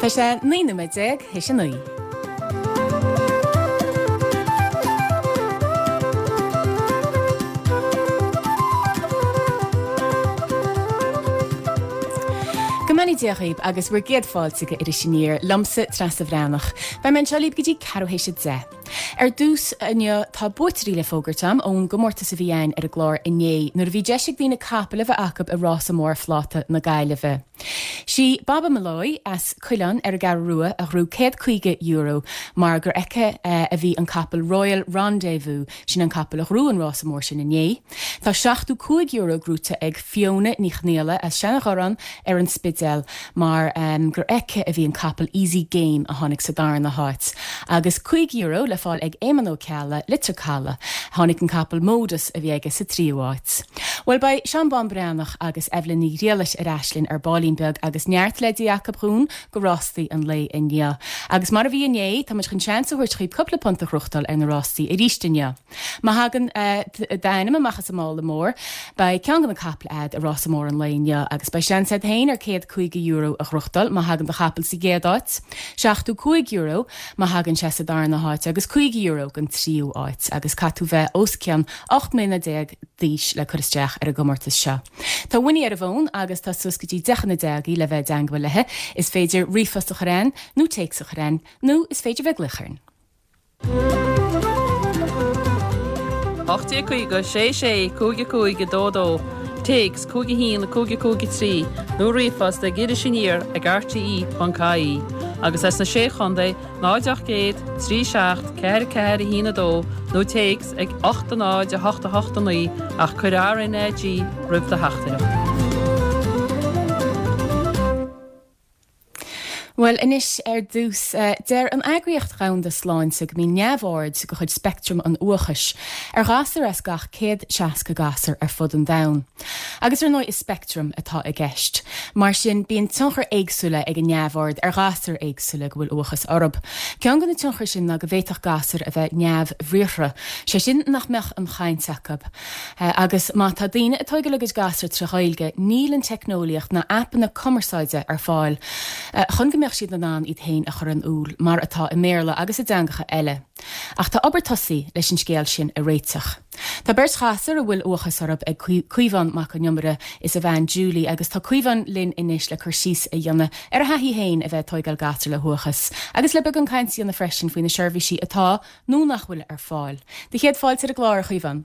Tá sé 19 nóiméad théis a 9. Go mbeannaí Dia dhaoib agus bhur gcéad fáilte go Iris Aniar, liomsa Treasa Bhreathnach. Beidh mé anseo libh go dtí ceathrú théis a 10. Ar dtús inniu tá buaiteoirí le fógairt agam ón gcomórtas a bhí againn ar an gclár inné nuair a bhí deis ag daoine capall a bheith acu i Rása Mór Phláta na Gaillimhe. Sí Baba Molloy as Coileán ar an gCeathrú Rua a ghnóthaigh €150 mar gur aici a bhí an capall Royal Rendezvous, sin an capall a ghnóthaigh an rása mór sin inné. Tá €75 gnóite ag Fiona Ní Chonghaile as Seanadhorán ar an Spidéal mar gur aici a bhí an capall Easy Game a tháinig sa darna háit. Agus €50 le fáil ag Éamonn Ó Ceallaigh, Leitir Caladh. Tháinig an capall Modus a bhí aige sa tríú háit. Bhuel beidh Seán Bán Breathnach agus Eibhlín Ní Ghriallais ar ais linn ar baillín beag agus neart leidí acu dhúinn go rástaí an lae inniu. Agus mar a bhí inné, tá muid chun seans a thabhairt dhaoib cúpla punt a ghnóthachtáil ar na rástaí arís inniu. Má thagann d'ainm amach as an mála mór, beidh ceann de na caiple a'd i rása mór an lae inniu agus beidh seans a'd féin ar €150 a ghnóthachtáil má thagann do chapall sa gcéad áit, €75 má thagann sé sa darna háit agus €50 don tríú áit agus caithfidh tú bheith os cionn 18 mbliana d'aois le cur isteach ar an gcomórtas seo. Tá Winnie ar an bhfón agus tá suas go dtí 10 chun 10 agaibh le bheith i dteangmháil léi. Is féidir ríomhphost a chur a'ainn nó téacs a chur a'ainn nó is féidir bheith ag glaoch orainn. 1850 6 6 5 5 2 2, Téacs 5 1 5 5 3 nó ríomhphost ag irisaniar ag rte.ie agus as na Sé Chontae 0 800 3 7 4 4 1 2 nó téacs ag 8 0 8 8 9 ach cuir RnaG roimh do theachtaireacht. Bhuel, anois ar dtús, deir an Eagraíocht Dhomhanda Sláinte go mbíonn neamhord de chuid speictream an uathachais ar ghasúr as gach 160 gasúr ar fud an domhain. Agus ar ndóigh is speictream atá i gceist. Mar sin bíonn tionchair éagsúla ag an neamhord ar ghasúir éagsúla go bhfuil uathachas orthu. Ceann de na tionchair sin ná go bhféadfadh gasúir a bheith neamhbhriathartha, sé sin nach mbeadh an chaint acu. Agus má tá daoine ag tóigeáil a gcuid gasúr tré Ghaeilge, níl an teicneolaíocht ná aipeanna cumarsáide ar fáil chun go mbeadh siad in ann iad féin a chur in iúl mar atá i mBéarla agus i dteangacha eile. Ach tá obair tosaithe leis an scéal sin a réiteach. Tá beirt ghasúr a bhfuil uathachas orthu ag Caomhán Mac Con Iomaire is a bhean Julie agus tá Caomhán linn anois le cur síos a dhéanamh ar a thaithí féin a bheith ag tóigeáil gasúr le huathachas agus le beagán cainte a dhéanamh freisin faoi na seirbhísí atá nó nach bhfuil ar fáil. Do chéad fáilte ar an gclár, a Chaomháin.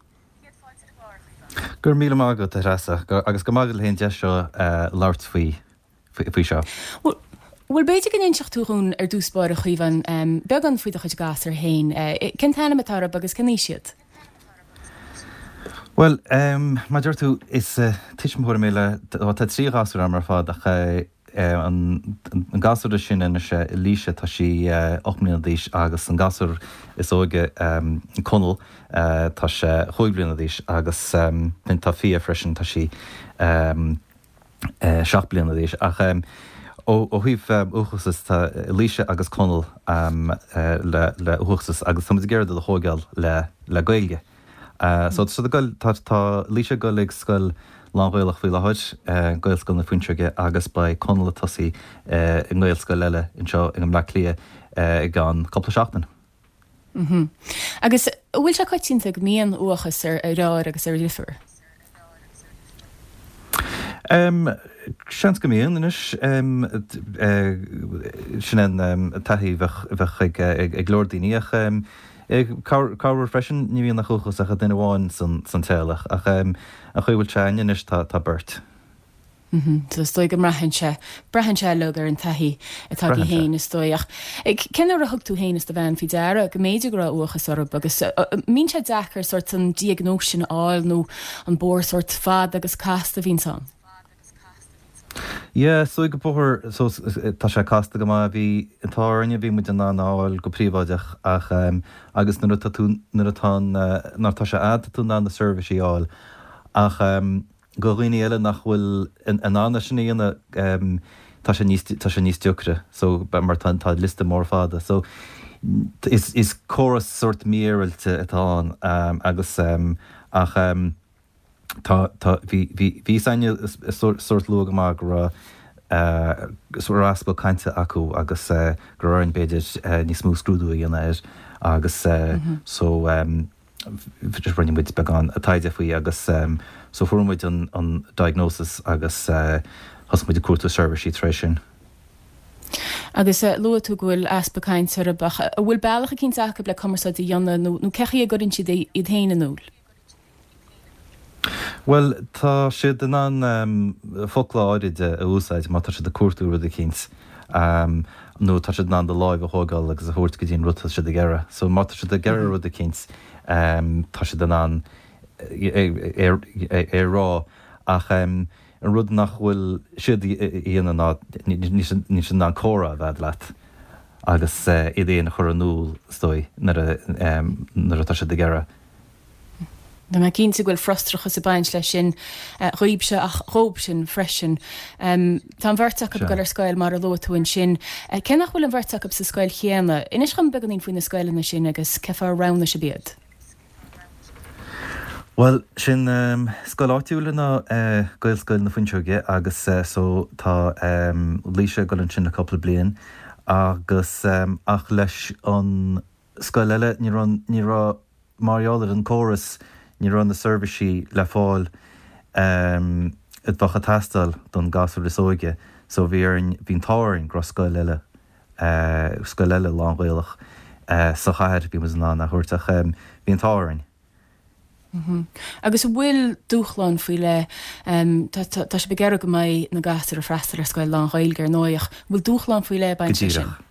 Go raibh míle maith agat, a Threasa, agus go maith agat le haghaidh an deis seo labhairt faoi faoi seo. Bhuel, b'fhéidir go n-inseodh tú dhúinn ar dtús báire, a Chaomháin, beagán faoi do chuid gasúr féin. Cén t-ainm atá orthu agus cén aois iad? Bhuel, mar a deir tú, is tuismitheoir mé le, tá 3 ghasúr agam ar fad ach An gasúr is sine anois, Laoise, tá sí 8 mbliana d'aois agus an gasúr is óige, Conall, tá sé 5 bliana d'aois agus tá Fia freisin, tá sí 7 bliana d'aois. Ach ó thaobh uathachas, tá Laoise agus Conall le uathachas agus tá muid ag iarraidh iad a thóigeáil le Gaeilge. So tá siad ag goil, tá, tá Laoise ag goil ag scoil lán-Ghaelach faoi láthair, Gaelscoil na Fuinseoige agus beidh Conall ag tosaí i nGaelscoil eile anseo i mBleá Cliath i gceann cúpla seachtain. Mhm. Agus an bhfuil sé coitianta go mbíonn uathachas ar dheartháir agus ar dheirfiúr? Seans go mbíonn anois. Sin an taithí a bheadh ag leor daoine ach corruair freisin ní bhíonn ach uathachas ach ag duine amháin san teaghlach ach an chaoi a bhfuil sé againne anois tá beirt. So is dóigh go mbraitheann sé, braitheann sé uilig ar an taithí atá agaibh féin is dóigh. Ach cén uair a thug tú féin is do bhean faoi deara go mb'fhéidir go raibh uathachas oraibh agus an mbíonn sé deacair sórt an diagnóis sin a fháil nó an bóthar sórt fada agus casta a bhíonns ann? Yeah, is dóigh go bóthar, so tá sé casta go maith, bhí an t-ádh orainne, bhí muid in ann a fháil go príobháideach ach agus nuair atá tú, nuair atá an, nuair atá sé a'd tá tú in ann na seirbhísí a fháil ach do dhaoine eile nach bhfuil in ann é sin a dhéanamh tá sé níos tá sé níos deacra so mar tá tá liosta mór fada so is is córas sórt mífhéaráilte atá ann agus ach tá tá bhí bhí bhí a fhios againne sórt luath go maith go raibh. Go raibh easpa cainte acu agus go raibh orainn b'fhéidir níos mó scrúdú a dhéanamh air agus so rinne muid beagán taighde faoi agus so fuair muid an diagnosis agus thosaigh muid ag cuartú seirbhísí tar éis sin. Agus luaigh tú go bhfuil easpa cainte orthu ach an bhfuil bealach eicínt acu le cumarsáid a dhéanamh nó cé chaoi a gcuireann siad iad féin in iúl? Bhuel, tá siad in ann focla áirid a úsáid má tá siad ag cuartú rud eicínt, nó tá siad in ann do láimh a thógáil agus a thabhairt go dtí an rud atá siad ag iarraidh. So má tá siad ag iarraidh rud eicínt, tá siad in ann é a rá. Ach an rud nach bhfuil siad a dhéanamh ná níl siad in ann comhrá a bheith leat agus iad féin a chur in iúl, is dóigh, nuair atá siad ag iarraidh. Tá mé cinnte go bhfuil frustrachas ag baint leis sin dhaoibhse ach dhóibhsean freisin. Tá an bheirt acu ag dul ar scoil mar a luaigh tú ansin. Cé nach bhfuil an bheirt acu sa scoil chéanna, inis dhom beagáinín faoi na scoileanna sin agus cé fáth ar roghnaigh sibh iad. Bhuel, sin scoil áitiúil ná Gaelscoil na Fuinseoige agus so tá Laoise ag dul ansin le cúpla bliain agus ach leis an scoil eile, ní raibh, ní raibh, mar gheall ar an córas, ní raibh na seirbhísí le fáil a bheadh ag teastáil don gasúr is óige so bhí orainn, bhí an t-ádh orainn go raibh scoil eile, scoil eile lán-Ghaelach sa chathair, bhí muid in ann a thabhairt ach bhí an t-ádh orainn. Agus an bhfuil dúshláin faoi leith, tá sibh ag iarraidh go mbeidh na gasúir ag freastal ar scoil lán-Ghaeilge ar ndóigh, ach an bhfuil dúshláin faoi leith ag Go baint leis sin? díreach.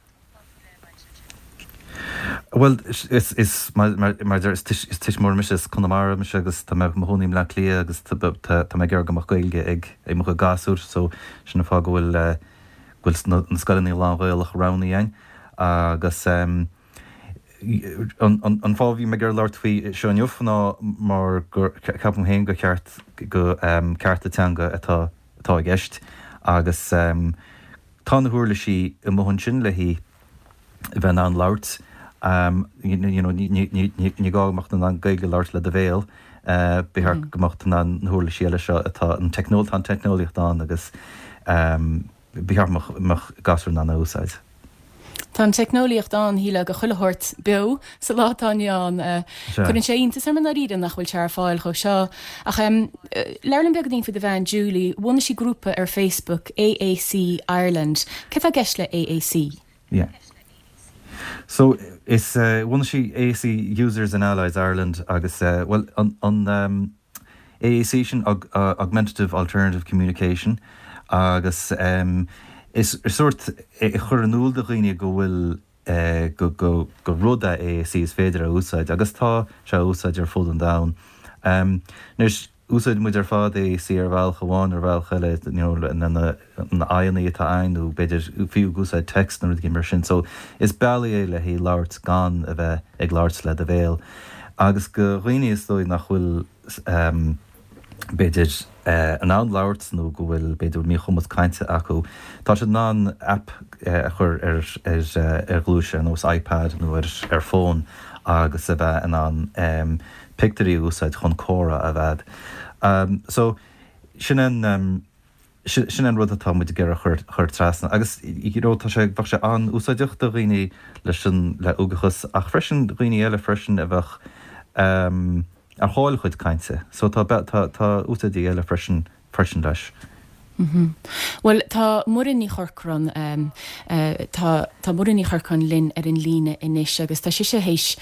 Bhuel, is, is, mar, mar, mar deir, is tuismitheoir mise, as Conamara mise agus tá mé i mo chónaí i mBleá Cliath agus tá, tá mé ag iarraidh go mbeadh Gaeilge ag, ag mo chuid gasúr so sin an fáth go bhfuil, go bhfuil na, na scoileanna lán-Ghaelach roghnaithe againn agus an, an fáth a bhí mé ag iarraidh labhairt faoi seo inniu ná mar gur, ceapaim féin gur cheart go cearta teanga atá, atá i gceist agus Tá na huirlisí amuigh ansin le haghaidh bheith in ann labhairt, you know, ní gá go mbeadh tú in ann Gaeilge a labhairt le do bhéal, ba cheart go mbeadh tú in ann na huirlisí eile seo atá, an teicneol, tá an teicneolaíocht ann agus ba cheart go mbeadh gasúir in ann a úsáid. Tá an teicneolaíocht ann, shílfeá, do chuile shórt beo sa lá atá inniu ann. Cuireann sé iontas orm i ndáiríre nach bhfuil sé ar fáil chomh seo. Ach labhair liom beagáinín faoi do bhean Julie. Bhunaigh sí grúpa ar Facebook, AAC Ireland. Céard atá i gceist le AAC? Yeah. So, is, bhunaigh sí AAC Users and Allies Ireland agus, bhuel, an, an AAC sin, Augmentative Alternative Communication, agus is sórt é a chur in iúl do dhaoine go bhfuil, go, go, gur rud é AAC is féidir a úsáid agus tá sé á úsáid ar fud an domhain. Anois, úsáideann muid ar fad AAC ar bhealach amháin ar bhealach eile, you know, na, na, na aghaidheanna atá againn nó b'fhéidir fiú ag úsáid text nó rudaí mar sin. So, is bealaí é le haghaidh labhairt gan a bheith ag labhairt le do bhéal. Agus do dhaoine is dóigh nach bhfuil, b'fhéidir, in ann labhairt nó go bhfuil, b'fhéidir, míchumas cainte acu, tá siad in ann aip a chur ar ar ghluais ar nós iPad nó ar ar fón agus a bheith in ann pictiúirí a úsáid chun comhrá a bheith. So, sin an sin an rud atá muid ag iarraidh a chur trasna agus you know tá sé, bheadh sé an-úsáideach do dhaoine leis an, le uathachas ach freisin dhaoine eile freisin a bheadh ar chaill a chuid cainte. So tá, tá, tá úsáidí eile freisin, freisin leis. Bhuel, tá Muireann Ní Chorcráin, tá, tá Muireann Ní Chorcráin linn ar an líne anois agus tá sise théis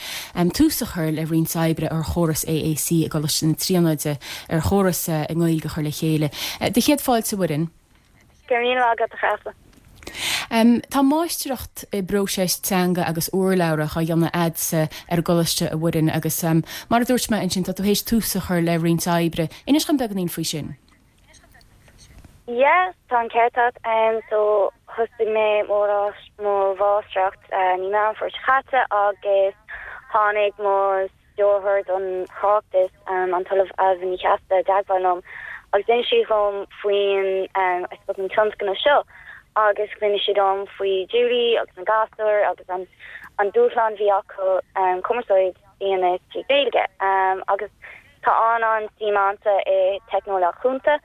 tús a chur le roinnt oibre ar chóras AAC i gColáiste na Tríonóide, ar chóras i nGaeilge a chur le chéile. Do chéad fáilte, a Mhuireann. Go raibh míle maith agat, a Threasa. Tá máistreacht i bpróiseas teanga agus urlabhra á dhéanamh a'dsa ar an gcoláiste, a Mhuireann, agus mar a dúirt mé ansin, tá tú théis tús a chur le roinnt oibre. Inis dhom beagáinín faoi sin. Yes, tá an ceart agat. Um, so thosaigh mé mo mo mháistreacht uh, mí Meán Fómhair seo caite agus tháinig mo stiúrthóir don thráchtas um, an tOllamh Ailbhe Ní Cheasaide i dteagmháil liom agus d'inis sí dhom faoin um, I suppose an tionscnamh seo agus d'inis sí dom faoi Julie agus na gasúir agus an, an dúshlán bhí acu um, cumarsáid a dhéanamh trí Ghaeilge um, agus Tá an-an-suim a'msa i teicneolaíocht chúnta,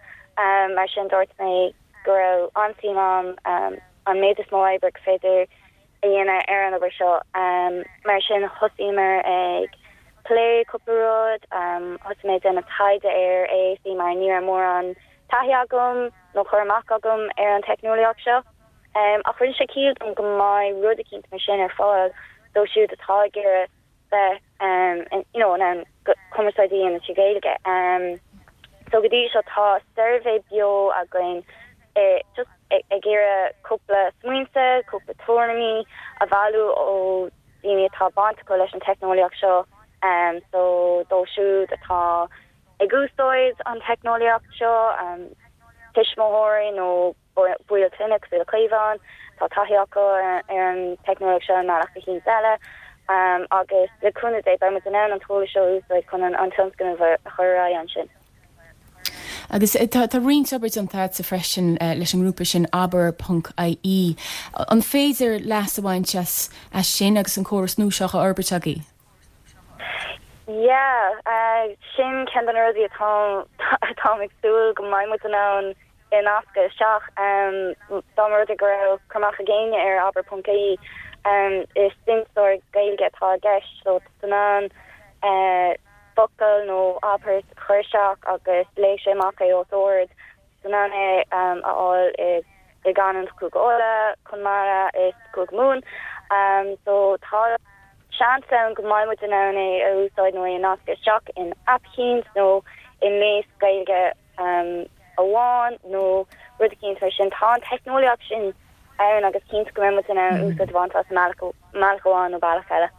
mar sin dúirt mé go raibh an-suim agam an méid is mó oibre gur féidir a dhéanamh ar an obair seo. Mar sin thosaíomar ag plé cúpla rud, thosaigh mé ag déanamh taighde ar AAC mar ní raibh mórán taithí agam nó cur amach agam ar an teicneolaíocht seo. Ach rinne sé ciall dom go mbeidh rud eicínt mar sin ar fáil dóibh siúd atá ag iarraidh bheith you know in ann cumarsáid a dhéanamh trí Ghaeilge. So go dtí seo tá suirbhé beo againn just ag iarraidh cúpla smaointe, cúpla tuairimí a bhailiú ó daoine atá baint acu leis an teicneolaíocht seo. So dóibh siúd atá ag úsáid an teicneolaíocht seo, tuismitheoirí nó baill clainne cosúil le Caomhán, tá taithí acu ar an teicneolaíocht seo i mbealach eicínt eile agus le cúnamh Dé beidh muid in ann an t-eolas seo a úsáid chun an tionscnamh a chur ar aghaidh ansin. Agus tá roinnt obair déanta agatsa freisin leis an ngrúpa sin Abair ponc ie. An féidir leas a bhaint as sin agus an córas nua seo á fhorbairt agaibh? Yeah, sin ceann de na rudaí atá atáim ag súil go mbeidh muid in ann a nascadh isteach. Dá mba rud é go raibh cur amach ag éinne ar abair ponc ie, is insteoir Gaeilge atá i gceist so tá tú in ann focal nó abairt a chur isteach agus léifidh sé amach é os ard. Tá tú in ann é a fháil i gcanúint Chúige Uladh, Conamara is Cúige Mumhan. So tá seans ann go mbeidh muid in ann é a úsáid nó é a nascadh isteach in aip eicínt nó i ngléas Gaeilge amháin nó rud eicínt mar sin. Tá an teicneolaíocht sin ann agus cinnte go mbeidh muid in ann úsáid a bhaint as i mbealach amháin nó bealach eile.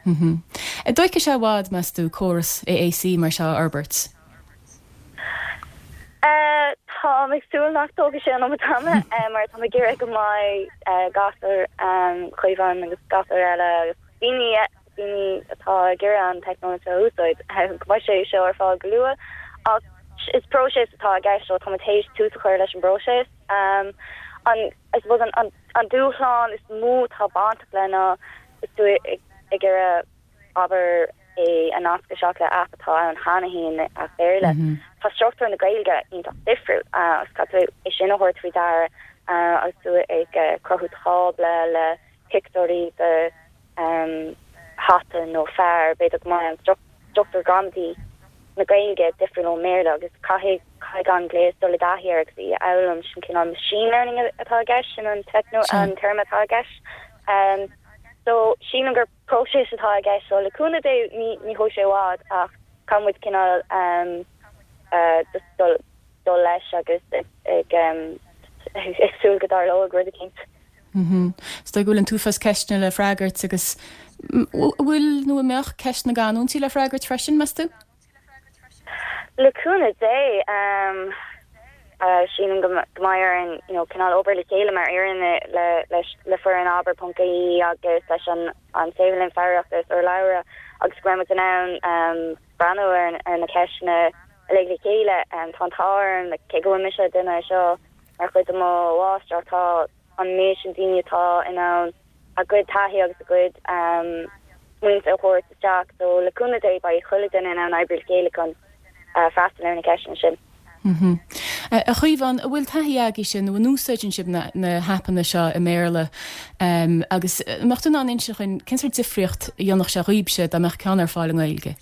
An dtógfaidh sé i bhfad, meas tú, córas AAC mar seo a fhorbairt? Táim ag súil nach dtógfaidh sé an iomad ama mar táim ag iarraidh go mbeidh gasúir Chaomháin agus gasúir eile agus daoine daoine atá ag iarraidh an teicneolaíocht seo a úsáid go mbeidh sé seo ar fáil go luath. Ach is próiseas atá i gceist so táimid théis tús a chur leis an bpróiseas. An I suppose an an dúshlán is mó atá bainteach le ná is tú ag iarraidh abair, é a nascadh isteach le aip atá ann cheana féin, aip Béarla. Tá struchtúr na Gaeilge iontach difriúil agus caithfidh tú é sin a thabhairt faoi deara agus tú ag cruthú tábla le pictiúirí de hata nó fear, b'fhéidir go mbeidh an struchtúr gramadaí na Gaeilge difriúil ón mBéarla agus caithfidh caithfidh an gléas dul i dtaithí air agus í a fhoghlaim, sin cineál machine learning atá i gceist, sin an an téarma atá i gceist. So sílim gur próiseas atá i gceist so le cúnamh Dé ní ní thógfaidh sé i bhfad ach caithfidh muid cineál just dul dul leis agus ag ag súil go dtarlóidh rud eicínt. Is dóigh go bhfuil an t-uafás ceisteanna le freagairt agus bhfuil nó an mbeadh ceist na gcanúintí le freagairt freisin, meas tú? Le cúnamh Dé, sílim go mbeidh orainn you know cineál obair le chéile mar fhoireann le leis le foireann Abair ponc ie agus leis an an Saotharlann Foghraíochta is Urlabhra agus go mbeidh muid in ann breathnú ar ar na ceisteanna uilig le chéile. Tá an t-ádh orm, cé go bhfuil mise ag déanamh é seo mar chuid de mo mháistreacht, tá an méid sin daoine atá in ann a gcuid taithí agus a gcuid smaointe a thabhairt isteach. So le cúnamh Dé beidh chuile duine in ann oibriú le chéile chun freastal ar na ceisteanna sin. A Chaomháin, an bhfuil taithí agaibhse nó an úsáideann sibh na haipeanna seo i mBéarla agus an mbeadh tú in ann inse dhúinn cén sórt difríocht a dhéanfadh sé dhaoibhse dá mbeadh ceann ar fáil i nGaeilge?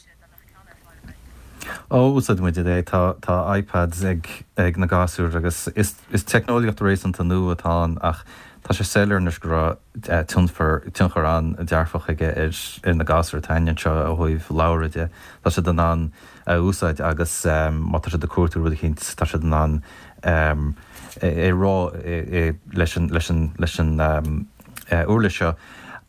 Ó, úsáideann muid é. Tá, tá iPads ag, ag na gasúir agus is, is teicneolaíocht réasúnta nua atá ann ach tá sé soiléir anois go raibh tionchar, tionchar an-dearfach aige ar, ar na gasúir atá againn anseo ó thaobh labhartha de. Tá siad in ann a úsáid agus má tá siad ag cuartú rud eicínt tá siad in ann é a rá leis an, leis an, leis an uirlis seo.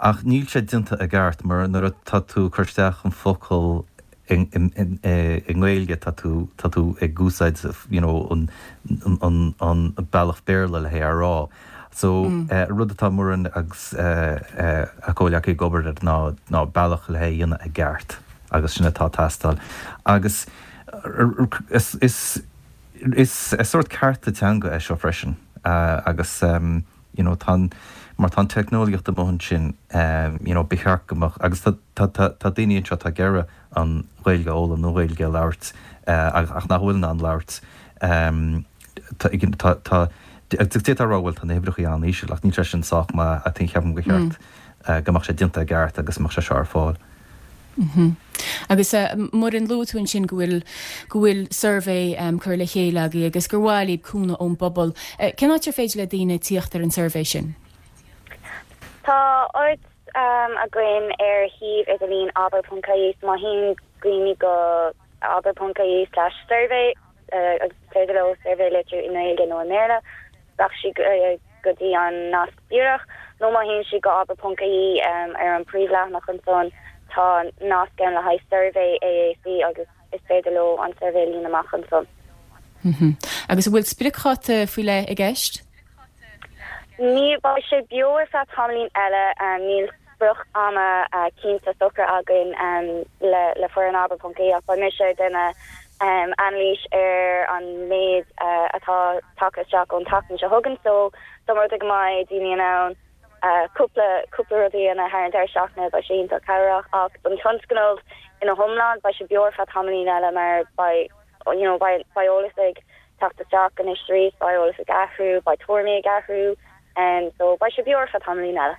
Ach níl sé déanta i gceart mar nuair atá tú ag cur isteach an focal i nGaeilge tá tú, tá tú ag úsáid you know an, an, an bealach Béarla le hé a rá. So rud atá Muireann agus a comhghleacaí ag obair air ná, ná bealach le hé a dhéanamh i gceart agus sin atá ag teastáil. Agus is, is, is sórt cearta teanga é seo freisin agus you know tá an, mar tá an teicneolaíocht amuigh ansin you know ba cheart go mbeadh, agus tá, tá, tá, tá daoine anseo atá ag iarraidh an Ghaeilge a fhoghlaim nó Gaeilge a labhairt ach nach bhfuil in ann labhairt tá, tá, tá. Agus d'fhéadfá a rá bhuel tá na huimhreacha an-íseal ach níl sé sin sách maith I think ceapaim gur cheart go mbeadh sé déanta i gceart agus go mbeadh sé seo ar fáil. Agus Muireann, luaigh tú ansin go bhfuil go bhfuil suirbhé curtha le chéile agaibh agus gur mhaith libh cúnamh ón bpobal. Cén áit ar féidir le daoine tíocht ar an suirbhé sin? Tá áit againn ar shuíomh idirlín abair.ie so má théann daoine go abair.ie slash survey agus is féidir leo suirbhé a litriú i nGaeilge nó i mBéarla, rachaidh siad go dtí an nasc díreach, nó má théann siad go abair.ie ar an príomhleathanach ansan tá nasc ann le haghaidh suirbhé AAC agus is féidir leo an suirbhé a líonadh amach ansan. Agus an bhfuil spriocdháta faoi leith i gceist? Ní, beidh sé beo ar feadh tamaillín eile, níl sprioc ama cinnte socair againn le foireann abair.ie ach beidh mise ag déanamh anailís ar an méid atá tagtha isteach ón tseachtain seo chugainn so dá mba rud é go mbeidh daoine in ann cúpla cúpla rud a dhéanamh thar an deireadh seachtaine beidh sé iontach cabhrach ach don tionscnamh ina hiomlán beidh sé beo ar feadh tamaillín eile mar beidh you know beidh beidh eolas ag teacht isteach anois arís beidh eolas ag athrú beidh tuairimí ag athrú so beidh sé beo ar feadh tamaillín eile.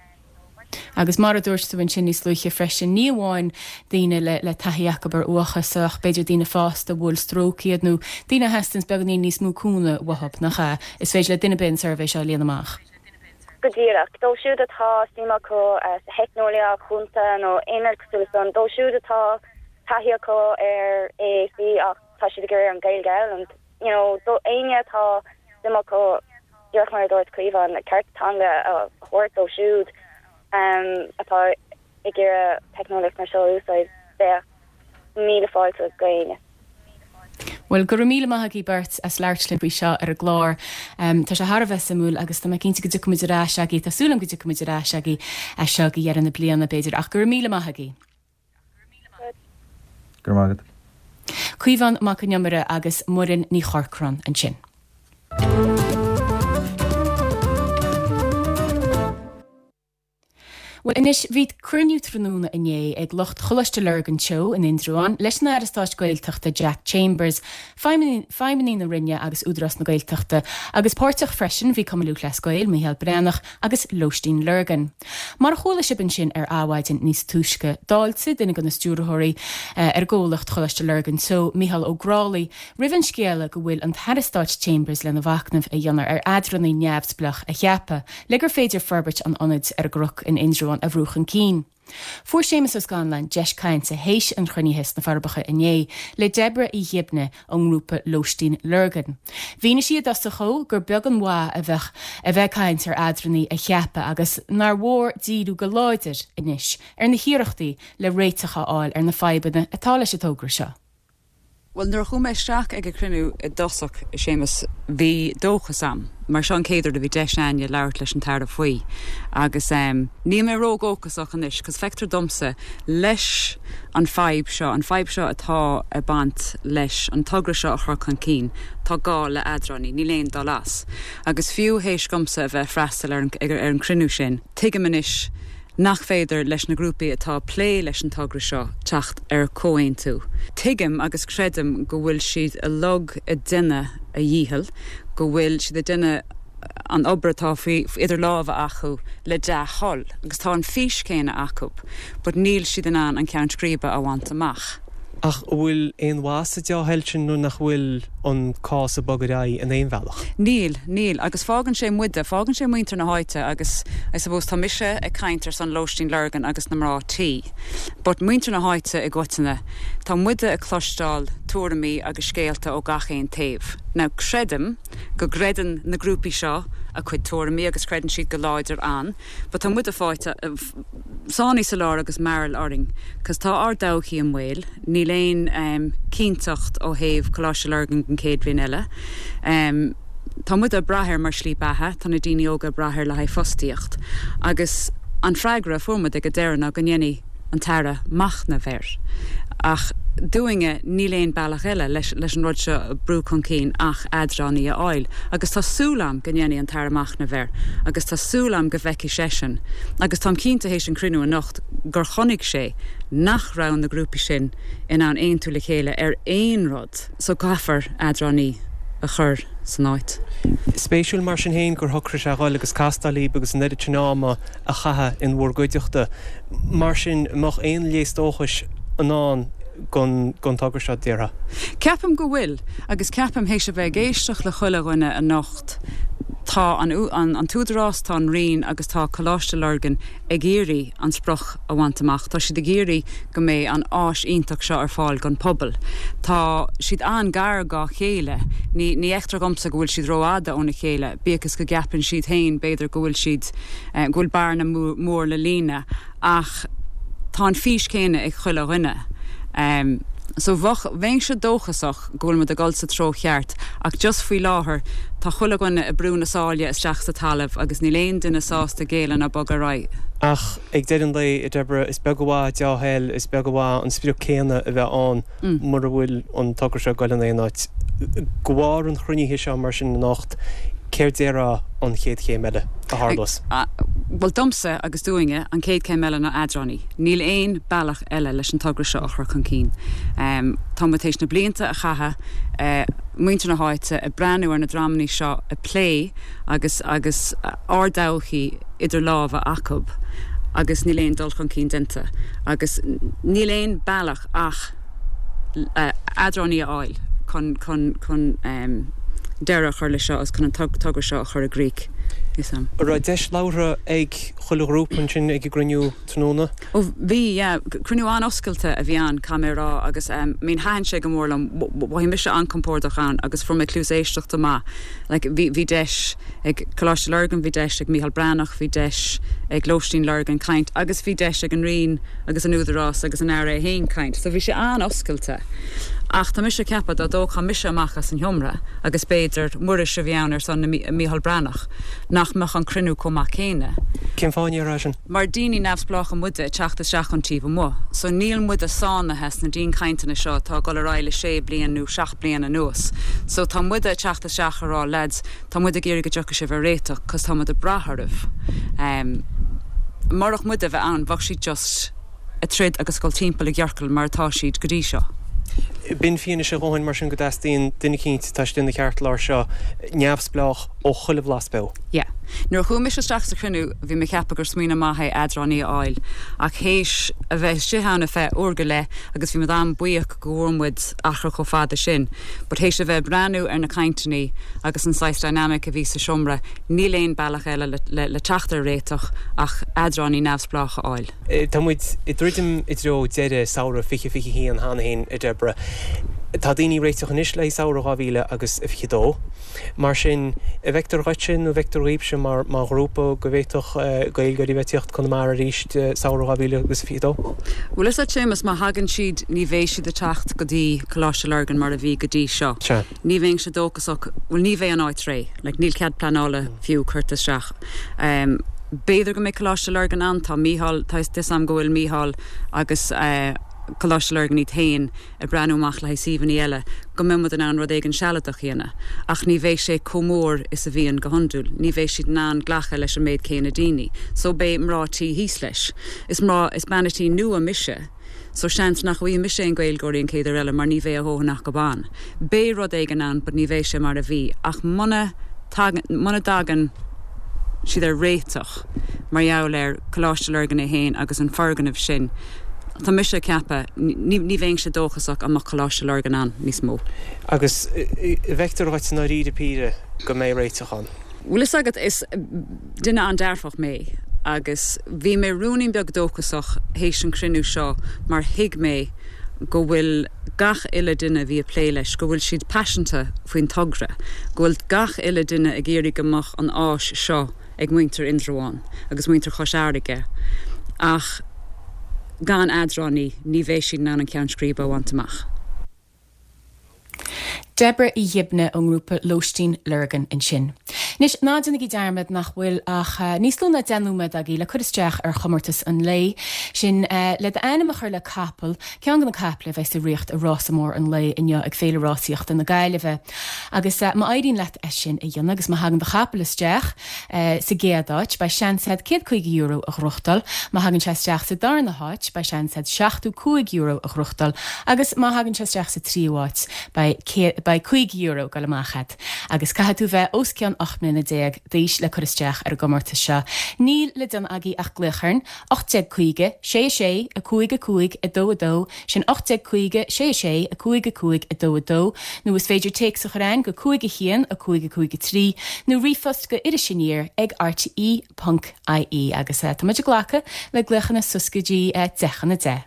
Agus mar a dúirt tú ansin níos luaithe freisin, ní amháin daoine le le taithí acu ar uathachas ach b'fhéidir daoine fásta a bhuail stróc iad nó daoine a theastaíonns beagáinín níos mó cúnamh uathu, nach ea? Is féidir le duine ar bith an suirbhé seo a líonadh amach. Go díreach. Dóibh siúd atá suim acu sa theicneolaíocht chúnta nó aon rud cosúil leis san, dóibh siúd atá taithí acu ar AAC ach tá siad ag iarraidh an Ghaeilge a fhoghlaim, you know, do éinne atá suim acu díreach mar a dúirt Caomhán, cearta teanga a thabhairt dóibh siúd atá ag iarraidh teicneolaíocht mar seo a úsáid, bheadh míle fáilte go éinne. Bhuel, go raibh míle maith agaibh beirt as labhairt linn faoi seo ar an gclár. Tá sé thar a bheith suimiúil agus tá mé cinnte go dtiocfaidh muid ar ais agaibh, tá súil agam go dtiocfaidh muid ar ais agaibh as seo go dheireadh na bliana, b'fhéidir, ach go raibh míle maith agaibh. Go raibh maith agat. Caomhán Mac Con Iomaire agus Muireann Ní Chorcráin ansin. Bhuel anois, bhí cruinniú tráthnóna inné ag lucht Choláiste Lurgan Teo in Indreabhán leis an Aire Stáit Gaeltachta Jack Chambers, Feidhmeannaigh na Roinne agus Údarás na Gaeltachta, agus páirteach freisin bhí Cumann Lúthchleas Gael, Mícheál Breathnach agus Lóistín Lurgan. Mar a chuala sibh ansin ar Adhmhaidin níos túisce, d'fháiltigh duine de na stiúrthóirí ar an gcomhlacht Choláiste Lurgan Teo, Mícheál Ó Grálaigh, roimh an scéala go bhfuil an tAire Stáit Chambers lena mhachnamh a dhéanamh ar eadránaí neamhspleách a cheapadh le gur féidir forbairt an ionaid ar an gCnoc in Indreabhán a bhrú chun cinn. Fuair Séamus Ó Scanláin deis cainte théis an chruinnithe sna Forbacha inné le Deborah Uí Ghibne ón ngrúpa Lóistín Lurgan. Mhínigh sí i dtosach dhó gur beag an mhaith a bheadh a bheith ag caint ar eadránaí a cheapadh agus nár mhór díriú go láidir anois ar na hiarrachtaí le réiteach a fháil ar na fadhbanna atá leis an togra seo. Bhuel, nuair a chuaigh mé isteach ag an chruinniú i dtosach, a Shéamus, bhí dóchas a'm, mar seo an chéad uair a bhí deis a'inne labhairt leis an tAire faoi. Agus em, níl mé ródhóchasach anois, 'cause feictear domsa, leis an fadhb seo, an fadhb seo atá ag baint leis an togra seo a chur chun cinn, tá gá le eadránaí, níl aon dul as. Agus fiú théis dhomsa a bheith ag freastal ar an, ar an chruinniú sin, tuigim anois, nach féidir leis na grúpaí atá ag plé leis an togra seo teacht ar chomhaontú. Tuigim agus creidim go bhfuil siad uilig ag déanamh a dhícheall, go bhfuil siad ag déanamh an obair atá faoi idir lámha acu le dea-thoil agus tá an fís céanna acu but níl siad in ann an ceann scríbe a bhaint amach. Ach an bhfuil aon mhaith sa dea-thoil sin nuair nach bhfuil an cás ag bogadh ar aghaidh in aon bhealach? Níl, níl. Agus fágann sé muide, fágann sé muintir na háite agus I suppose tá mise ag caint ar son Lóistín Lurgan agus na mná tí but muintir na háite i gcoitinne, tá muide ag cloisteáil tuairimí agus scéalta ó gach aon taobh. Now creidim go gcreideann na grúpaí seo a cuid tuairimí agus creideann siad go láidir ann but tá muide fáite, sáinnithe sa lár agus mearbhall orainn 'cause tá ár dtodhchaí i mbaol, níl aon cinnteacht ó thaobh Coláiste Lurgan don chéad bhliain eile. Tá muid ag brath air mar slí beatha, tá na daoine óga ag brath air le haghaidh fostaíocht agus an freagra a fuair muid ag an deireadh ná go ndéanfaidh an tAire machnamh air. Ach dúinne níl aon bealach eile leis leis an rud seo a brú chun cinn ach eadránaí a fháil agus tá súil a'm go ndéanfaidh an tAire machnamh air agus tá súil a'm go bhfeicfidh seisean agus táim cinnte théis an cruinniú anocht gur chonaic sé nach raibh na grúpaí sin in ann aontú le chéile ar aon rud so caithfear eadránaí. a chur san áit. Spéisiúil mar sin féin gur shocraigh sé a dhul agus castáil libh agus an oiread sin ama a chaitheamh in bhur gcuideachta. Mar sin, an mbeadh aon léas dóchais i ndán don togra seo, déarfá? Ceapaim go bhfuil, agus ceapaim, théis a bheith ag éisteacht le chuile dhuine anocht, tá an tÚdarás, tá an Roinn agus tá Coláiste Lurgan ag iarraidh an sprioc a bhaint amach. Tá siad ag iarraidh go mbeidh an áis iontach seo ar fáil don pobal. Tá siad an-gar dhá chéile. Ní ní fheictear dhomsa go bhfuil siad rófhada óna chéile, bíodh is go gceapann siad féin b'fhéidir go bhfuil siad, go bhfuil bearna mór le líonadh. Ach tá an fís céanna ag chuile dhuine. So bheadh, bheinnse dóchasach go bhfuil muid ag dul sa treo cheart ach just faoi láthair tá chuile dhuine ag brú na sáile isteach sa talamh agus níl aon duine sásta géilleadh ná bogadh ar aghaidh. Ach ag deireadh an lae, a Deborah, is beag an mhaith deá-thoil, is beag an mhaith an sprioc céanna a bheith ann mura bhfuil an togra seo ag goil in aon áit. De bharr an chruinnithe seo mar sin anocht, céard déarfá an chéad chéim eile a tharlós? Bhuel, domsa agus dúinne, an chéad chéim eile ná eadránaí. Níl aon bealach eile leis an togra seo a chur chun cinn. Tá muid théis na blianta a chaitheamh, muintir na háite, ag breathnú ar na dreamanna seo ag plé agus agus ár dtodhchaí idir lámha acu agus níl aon dul chun cinn déanta. Agus níl aon bealach ach eadránaí a fháil chun chun chun deireadh a chur leis seo agus chun an togra seo a chur i gcrích. An raibh deis labhartha ag chuile ghrúpa ansin ag an gcruinniú tráthnóna? Ó bhí, yeah. Cruinniú an-oscailte a bhí ann, caithfidh mé a rá, agus I mean thaitin sé go mór liom. Mhothaigh mise an-compordach ann agus fuair mé cluas éisteachta maith. Like bhí bhí deis ag Coláiste Lurgan, bhí deis ag Mícheál Breathnach, bhí deis ag Lóistín Lurgan caint agus bhí deis ag an Roinn agus an Údarás agus an Aire é féin caint. So bhí sé an-oscailte. Ach tá mise ag ceapadh dá dtógfá mise amach as an sheomra agus b'fhéidir Muiris a bhí ann ar son na Mícheál Breathnach, nach mbeadh an cruinniú chomh maith céanna. Cén fáth a ndéarfá sin? Mar daoine neamhspleácha muide ag teacht isteach ón taobh amuigh. So níl muide sáinnithe sna dianchainteanna seo atá ag dul ar aghaidh le sé bliain nó seacht bliain anuas. So tá muide ag teacht isteach ag rá lads, Tá muid ag iarraidh go dtiocfaidh sibh ar réiteach cos tá muid ag brath oraibh. Murach muid a bheith ann bheadh siad just ag troid agus ag dul timpeall i gciorcal mar atá siad go dtí seo. B'in fianaise a dhóthain mar sin go dteastaíonn duine eicínt atá istigh ina cheartlár seo neamhspleách ó chuile bhlas beo. Yeah. Nuair a chuaigh mise isteach sa chruinniú bhí mé ag ceapadh gur smaoineamh maith é eadránaí a fháil ach théis a bheith istigh ann ar feadh uair go leith agus bhí muid an-buíoch go bhfuair muid achar chomh fada sin but théis a bheith ag breathnú ar na cainteanna agus an saghas dynamic a bhí sa seomra, níl aon bealach eile le teacht ar réiteach ach eadránaí neamhspleách a fháil. Tá muid ag druidim i dtreo deireadh samhradh 2021 cheana féin, a Deborah. Tá daoine ag réiteach anois le haghaidh samhradh 2022. Mar sin, an bhfeictear dhuitse nó an bhfeictear dhaoibhse mar ghrúpa go bhféadfadh Gaeilgeoirí a bheith ag tíocht Conamara arís samhradh 2022? Bhuel, is ea, Séamus, má thagann siad, ní bheidh siad ag teacht go dtí Coláiste Lurgan mar a bhí go dtí seo. Sea. Ní bheinnse dóchasach, bhuel, ní bheidh an áit réidh, like, níl cead pleanála fiú curtha isteach. B'fhéidir go mbeidh Coláiste Lurgan ann, tá Mícheál, tá 'fhios a'm go bhfuil Mícheál agus Coláiste Lurgan iad féin ag breathnú amach le haghaidh suíomhanna eile, go mbeidh muid in ann rud éigin sealadach a dhéanamh. Ach ní bheidh sé chomh mór is a bhíonn go hiondúil. Ní bheidh siad in ann glacadh leis an méid céanna daoine. So beidh mná tí thíos leis. Is mná, is bean tí nua mise, so seans nach bhfaighidh mise aon Gaeilgeoirí an chéad uair eile mar ní bheidh a dhóthain acu ann. Beidh rud éigin ann but ní bheidh sé mar a bhí. Ach muna tagann, muna dtagann siad ar réiteach mar gheall ar Coláiste Lurgan é féin agus an foirgneamh sin, Tá mise ag ceapadh, ní bheinnse dóchasach an mbeadh Coláiste Lurgan ann níos mó. Agus an bhfeictear dhuit i ndáiríre píre go mbeidh réiteach ann? Bhuel, fhios agat, is duine an-dearfach mé agus bhí mé ruainnín beag dóchasach théis an chruinniú seo mar thuig mé go bhfuil gach uile duine a bhí ag plé leis, go bhfuil siad paiseanta faoin togra, go bhfuil gach uile duine ag iarraidh go mbeadh an áis seo ag muintir Indreabháin agus muintir Chois Fharraige ach gan eadránaí ní bheidh siad in ann an ceann scríbe a bhaint amach. Deborah Uí Ghibne ón ngrúpa Lóistín Lurgan ansin. Anois, ná déanaigí dearmad nach bhfuil ach níos lú ná 10 nóiméad agaibh le cur isteach ar chomórtas an lae, sin le d'ainm a chur le capall, ceann de na caiple a bheidh sa riocht i rása mór an lae inniu ag Féile Rásaíochta na Gaillimhe. Agus má éiríonn leat é sin a dhéanamh agus má thagann do chapall isteach sa gcéad áit, beidh seans agat €150 a ghnóthachtáil, má thagann sé isteach sa darna háit, beidh seans agat €75 a ghnóthachtáil agus má thagann sé isteach sa tríú háit, beidh €50 ag dul amach agat. Agus caithfidh tú bheith os cionn 18 mbliana d'aois le cur isteach ar an gcomórtas seo. Níl le déanamh agaibh ach glaoch orainn, 1850 6 6 5 5 2 2, sin 1850 6 6 5 5 2 2, nó is féidir téacs a chur a'ainn go 5 1 5 5 3, nó ríomhphost go Iris Aniar ag rte ponc ie. Agus tá muid ag glacadh le glaochanna suas go dtí 10 chun a 10.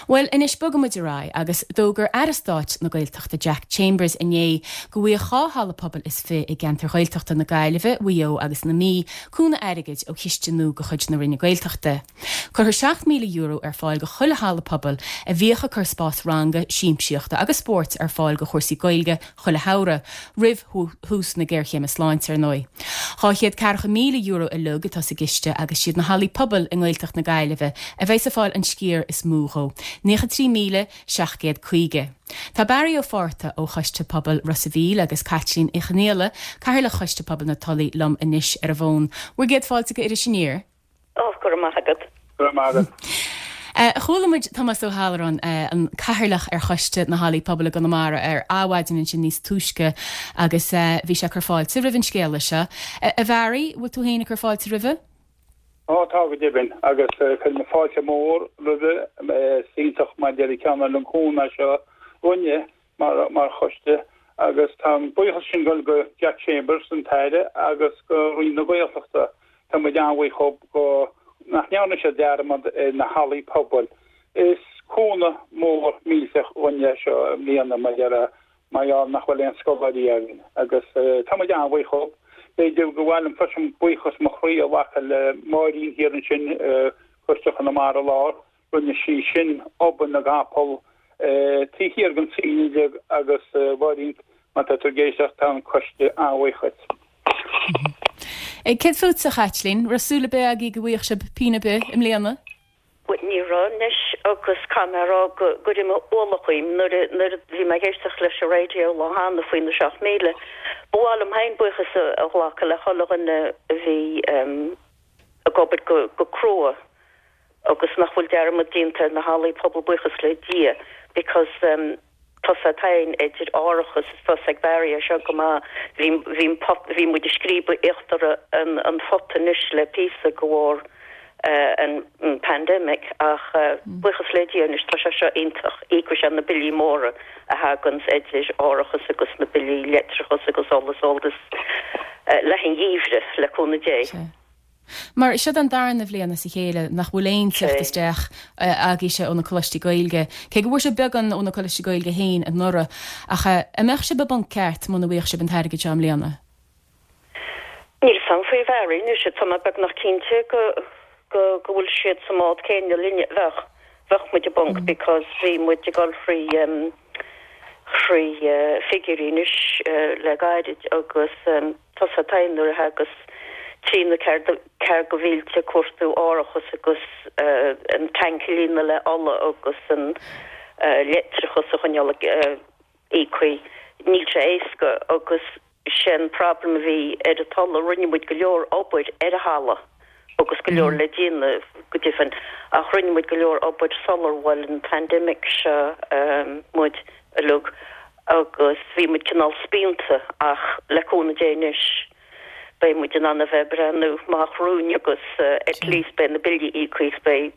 Bhuel, anois bogfaidh muid ar aghaidh agus d'fhógair Aire Stáit na Gaeltachta Jack Chambers inné go bhfaighidh 2 halla pobail is fi i gceantar Ghaeltachta na Gaillimhe, Mhaigh Eo agus na Mí cúnamh airgid ó chiste nua de chuid na Roinne Gaeltachta. Cuirfear €7,000 ar fáil do chuile halla pobail a bhíodh ag cur spás ranga, siamsaíochta agus spóirt ar fáil do chúrsaí Gaeilge chuile shamhradh, roimh thús na géarchéime sláinte, ar ndóigh. €240,000 uilig atá sa gciste agus siad na hallaí pobail i nGaeltacht na Gaillimhe a bheas ag fáil an sciar is mó dhó, 93,750. Tá Barry Ó Fátharta ó Choiste Pobail Ros a' Mhíl agus Caitlín Uí Chonghaile, Cathaoirleach Choiste Pobail na Tulaí liom anois ar an bhfón. Bhur gcéad fáilte go Iris Aniar. Ó, go raibh maith agat. Go raibh maith agat. Chuala muid Tomás Ó hAlluráin, an Cathaoirleach ar Choiste na Hallaí Pobail i gConamara ar Adhmhaidin ansin níos túisce agus bhí sé ag cur fáilte roimh an scéala seo. A Bharry, bhfuil tú féin ag cur fáilte roimhe? Ó, tá go deimhin, agus cuirim fáilte mhór roimhe. Is iontach mar a déarfá cineál an cúnamh seo dhúinne mar mar choiste agus tá an buíochas sin ag dul go Jack Chambers, an tAire, agus go Roinn na Gaeltachta. Tá muid an-bhuíoch dhób go nach ndearna siad dearmad ar na hallaí pobail. Is cúnamh mór millteach dhúinne é seo i mbliana mar gheall mar gheall nach bhfuil aon scoláirí againn agus tá muid an-bhuíoch dhób. B'fhéidir gur mhaith liom freisin buíochas mo chroí a ghlacadh le Máirín thiar ansin, Coiste Chonamara Láir, Rinne sí sin obair na gcapall taobh thiar den saol uilig agus a Mháirín, má tá tú ag éisteacht, tá an coiste an-bhuíoch dhuit. Céard fútsa, a Chaitlín? Raibh súil ar bith agaibh go bhfaigheadh sibh pingin ar bith i mbliana? Bhuel, ní raibh anois agus caithfidh mé a rá go raibh mé ualach uaim nuair a nuair a bhí mé ag éisteacht leis an raidió lá cheana faoi na 7,000. Ba mhaith liom féin buíochas a ghlacadh le chuile dhuine a bhí ag obair go crua agus nach bhfuil dearmad déanta ar na hallaí pobail buíochas le Dia because tá's agat féin idir árachas is tá's ag Barry é seo go maith bhí bhí an pot bhí muid ag scríobadh íochtar an an phota anois le píosa de bharr an an pandemic ach buíochas le Dia anois tá sé seo iontach íocfaidh sé na billí móra a thaganns idir árachas agus na billí leictreachas agus ola is solas le an gheimhreadh le cúnamh Dé. Mar seo an darna bhliain as a chéile nach bhfuil aon teacht isteach agaibhse ó na Coláistí Gaeilge, cé go bhfuair sibh beagán ó na Coláistí Gaeilge féin anuraidh. Ach an mbeadh sibh i bponc ceart muna bhfaigheadh sibh an t-airgead seo i mbliana? Níl 's a'm faoi Bharry anois, tá mé beagnach cinnte go go go bhfuil siad sa mbád céanna linne. Bheadh. Bheadh muid i bponc because bhí muid ag dul thrí thrí figiúirí anois le gairid agus tá's agat féin nuair a thagas trí nó ceathair de mhílte ag cuartú árachas agus an tank a líonadh le ola agus an leictreachas a choinneáil íoctha, níl sé éasca agus sé an problem a bhí ar an Tulaigh, rinne muid go leor obair ar an halla agus go leor le déanamh go deimhin ach rinne muid go leor obair sular bhuail an pandemic seo muid uilig agus bhí muid cineál spíonta ach le cúnamh Dé anois beidh muid in ann a bheith ag breathnú amach romhainn agus at least beidh na billí íoctha is beidh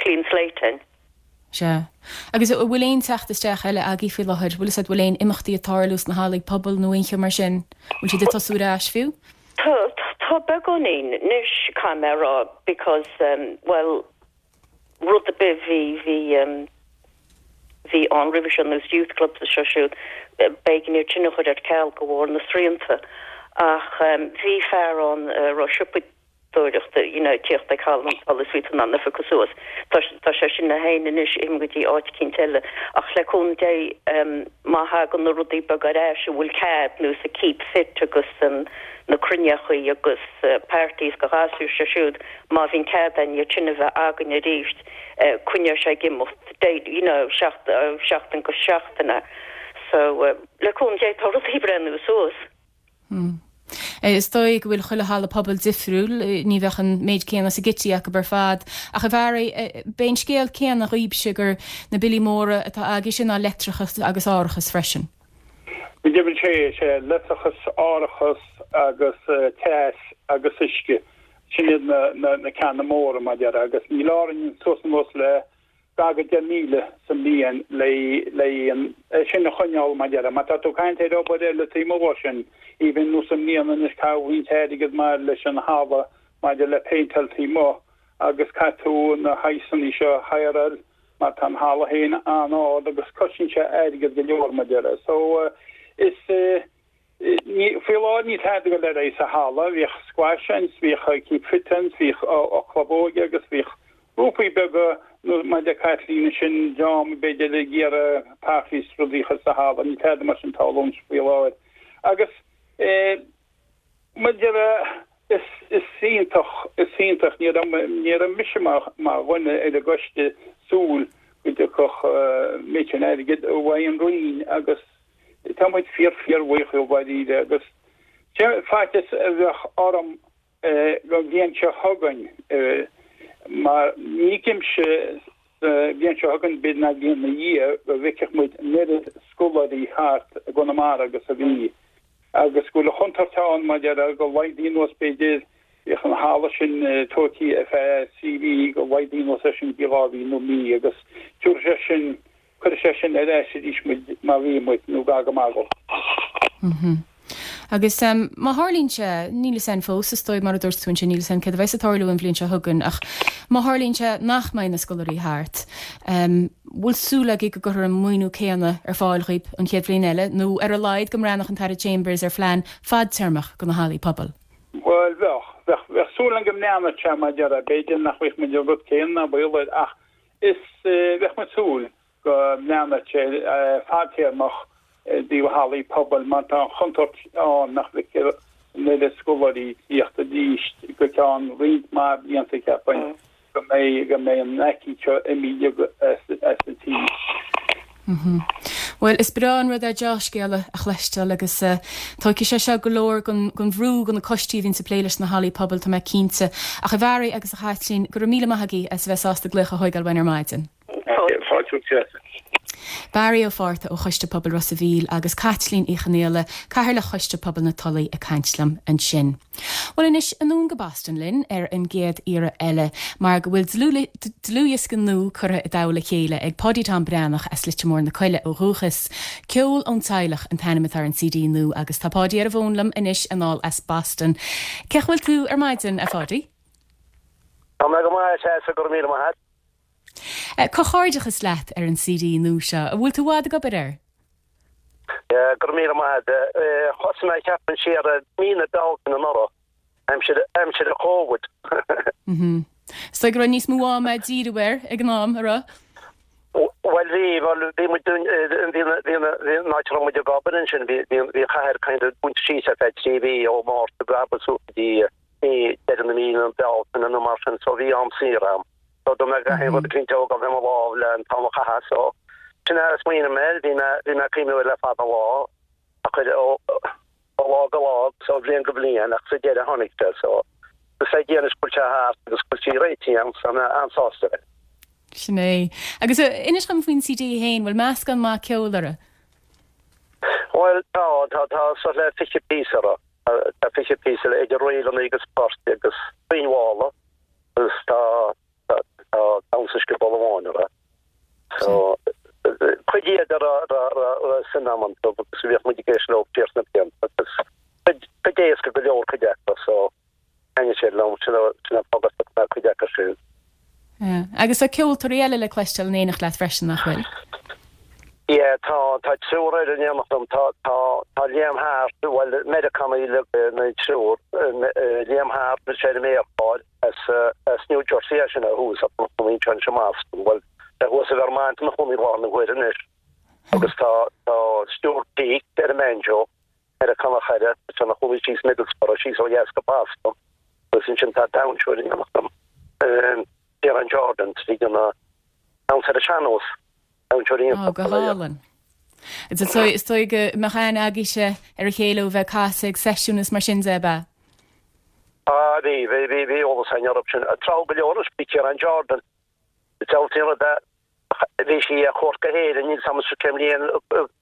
clean slate againn. Sea. Agus an bhfuil aon teacht isteach eile agaibh faoi láthair? Bhfuil fhios agat, bhfuil aon imeachtaí ag tarlú sna hallaí pobail nó aon cheo mar sin? Bhfuil siad ag tosú ar ais fiú? Tá, tá beagáinín anois, caithfidh mé a rá, because, bhuel, rud ar bith bhí, bhí, bhí ann roimhe seo, nós youth clubs is seo siúd, b'éigean iad sin a chur ar ceal de bharr na srianta. Ach bhí fear ann a raibh siopa. siopadóireachta, you know, tíocht ag Halla na Tulaí is bhí tú in ann a phiocadh suas. Tá tá sé sin na féin anois imithe go dtí áit eicínt eile. Ach le cúnamh Dé, má thagann na rudaí beaga ar ais a bhfuil cead, nós an keep fit agus an na cruinneachaí agus parties do ghasúir sé siúd, má bhíonn cead againn iad sin a bheith againn arís, coinneoidh sé ag imeacht day, you know, seachtain go seachtaine. So, le cúnamh Dé, tá rudaí ag breathnú suas. Is dóigh go bhfuil chuile halla pobail difriúil, ní bheadh an méid céanna sa gcití acu ar fad. Ach a Bharry, b'é an scéal céanna dhaoibhse gur na billí móra atá agaibhse ná leictreachas agus árachas freisin. Go deimhin sé, sé leictreachas, árachas agus teas agus uisce, sin iad na ceanna móra mar a déarfá agus níl orainn suas anuas le gar go 10,000 sa mbliain le é sin a choinneáil mar a déarfá. Má tá tú ag caint ar obair eile taobh amuigh de sin, even nós i mbliana anois caitheadh roinnt airgead mar leis an halla maidir le péinteáil taobh amuigh agus caithfidh tú na shaghsanna seo a hireáil mar tá an halla féin an-ard agus cosnaíonn sé airgead go leor mar a déarfá. So is Ní, faoi láthair níl tada ag dul ar aghaidh sa halla. Bhíodh squash ann, bhíodh keep fit ann, bhíodh club óige agus bhíodh grúpaí beaga nó mar a deir Caitlín ansin, dream b'fhéidir ag iarraidh parties is rudaí a chur sa halla. Níl tada mar sin ag tarlúint faoi láthair. Agus eh, mar a déarfá, is, is iontach, is iontach, ní raibh, ní raibh mise mar, mar dhuine ar an gcoiste súil go dtiocfadh eh, méid sin airgid uaidh an Roinn agus Tá muid fíor fíor bhuíoch dhóibh dháiríre agus sé faitíos a bheadh orm don bhliain seo chugainn mar ní fheicimse sa bhliain seo chugainn b'fhéidir ná bliain ina dhiaidh go bhfeicfeadh muid an oiread scoláirí thart i gConamara agus a bhí agus go bhfuil an chontúirt ann mar a déarfá go laghdaí anuas b'fhéidir bhíodh an halla sin tógtha ar feadh trí mhí go laghdaí anuas é sin go dtí 2 mhí nó mí agus tabharfaidh sé sin Cuirfidh sé sin ar ais arís muid mar bhí muid, nó gar go maith dhó. Agus má tharlaíonn sé, níl fhios a'inn fós, is dóigh, mar a dúirt tú ansin, níl fhios a'inn céard a bheas ag tarlú an bhliain seo chugainn, ach má tharlaíonn sé nach mbeidh na scoláirí thart, bhfuil súil agaibh go gcuirfear an maoiniú céanna ar fáil dhaoib an chéad bhliain eile, nó ar a laghad go mbreathnódh an tAire Chambers ar phlean fadtéarmach do na hallaí pobail? Bhuel, bheadh. Bheadh, bheadh súil agam go mbreathnódh sé, mar a déarfá. B'fhéidir nach bhfaighidh muid an rud céanna, ná baol air, ach Is bheadh muid súil go mbreathnódh sé fadtéarmach i dtaobh hallaí pobail mar tá an chontúirt ann nach bhfeicfear an oiread scoláirí ag tíocht arís go ceann roinnt mhaith blianta cheapfainn go mbeidh go mbeidh an aicíd seo imithe as an tír. Bhuel, is breá an rud é deá-scéala a chloisteáil agus tógfaidh sé seo go leor den bhrú do na coistí a bhíonns ag plé leis na hallaí pobail, tá mé cinnte. Ach a Bharry agus a Chaitlín, go raibh míle maith agaibh as a bheith sásta glaoch a thóigeáil uainn ar maidin. Fáilte romhat. Barry Ó Fátharta ó Choiste Pobail Ros a' Mhíl agus Caitlín Uí Chonaola, Cathaoirleach Choiste Pobail na Tulaí ag caint liom ansin. Bhuel anois, anonn go Boston linn ar an gcéad iarraidh eile, mar go bhfuil dlúthdhiosca nua curtha i dtoll a chéile ag Páidí Tom Breathnach as Leitir Móir na Coille ó dhúchas. Ceol ón Teaghlach an t-ainm atá ar an CD nua agus tá Páidí ar an bhfón liom anois anall as Boston. Cén chaoi a bhfuil tú ar maidin, a Pháidí? Tá mé go maith, a Threasa, go raibh míle maith a't. Comhghairdeachas leat ar an CD nua seo. An bhfuil tú i bhfad ag obair air? Go raibh míle maith a't. Thosaigh mé cheapfainn siar i mí na Bealtaine anuraidh, aimsir aimsir an Chóvid. Is dóigh go raibh níos mó ama díriú air ag an am, a raibh? Bhuel bhí, bhuel bhí muid dún, bhí na, bhí na, bhí an áit a raibh muid ag obair ansin, bhí, bhí, bhí an chathair kind of dúnta síos ar feadh 3 mhí ó Mhárta go Aibreán suas go dtí mí deireadh na mí na Bealtaine nó mar sin so bhí am saor a'm. So dúirt mé gach aon rud a tógáil i mo lámh le an t-am a chaitheamh so sin é a smaoinigh mé air, bhí mé bhí mé ag cuimhniú air le fada an lá ach ó ó lá go lá agus ó bhliain go bliain ach sa deireadh tháinig sé so is le Dia anois go bhfuil sé thart agus go bhfuil sé réitithe agam so tá mé an-sásta leis. Sin é. Agus inis dom faoin CD féin, bhfuil meascán maith ceoil air? Bhuel tá, tá, tá suas le 20 píosa air. Tá 20 píosa idir ríleanna agus poirt agus foinn mhalla agus tá tá damhsa scioból amháin orthu. So cuid iad a raibh suim agam iontu agus bhíodh muid ag éisteacht leo siar sna blianta agus cuid cuid éasca go leor cuid acu so thaitnigh siad liom sin sin an fáth gur phioc mé cuid acu siúd. Yeah. Agus tá ceoltóirí eile le cloisteáil in éineacht leat freisin, nach bhfuil? Yeah, tá, tá triúr eile in éineacht liom. Tá, tá. Tá Liam Harte, bhuel, Meiriceánaigh uilig na triúr, Liam Harte, bhí sé ar an méarchlár as as New Jersey é sin ó thús ach ina chónaí anseo anois i mBoston. Bhuel, tá thuas i Vermont ina chónaí i láthair na huaire anois. Agus tá tá Stuart Peake ar an mbanjo, Meiriceánach eile, tá sé ina chónaí síos i Middlesboro, síos ó dheas go Boston. Agus ansin tá damhsóir in éineacht liom, Ciarán Jordan, tríd an damhsa ar an sean-nós. Damhsóir iontach. Ó, go hálainn. Is dóigh go mbeadh aithne agaibhse ar a chéile ó bheith ag casadh ag seisiúin is mar sin de, ab ea? Á, bhí, bhí, bhí, bhí eolas againn orthu sin. Tráth go leor anois, bhí Ciarán Jordan. Is dealbh an rud é, bhí sí ar chuairt go hÉirinn, níl 's a'm cén bhliain,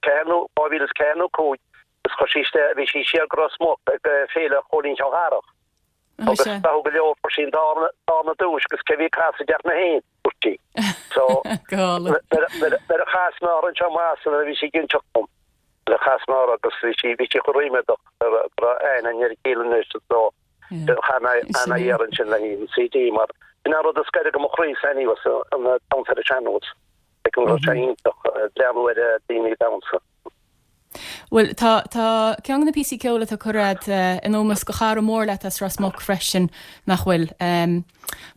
4 nó, 2004 nó 5, agus chuir sí isteach, bhí sí siar go Ros Muc ag Féile Chóilín Cheallgharach. Agus tráth go leor fuair sí an darna duais agus cé bhí ag casadh ach mé féin, dúirt sí. So, nuair a chas mé uirthi anseo i mBoston bhí sí ag inseacht dom. Nuair a chas mé uirthi agus bhí sí bhí sí chomh ríméadach go raibh aithne againn ar a chéile anois so chaith mé a iarraidh ansin le an CD mar sin an rud is gaire do mo chroí anyway an damhsa ar an sean-nós. Like an rud sé iontach breathnú ar daoine ag damhsa. Bhuel, tá, tá ceann de na píosaí ceoil atá curtha agat in ómós do chara mór leat as Ros Muc freisin, nach bhfuil?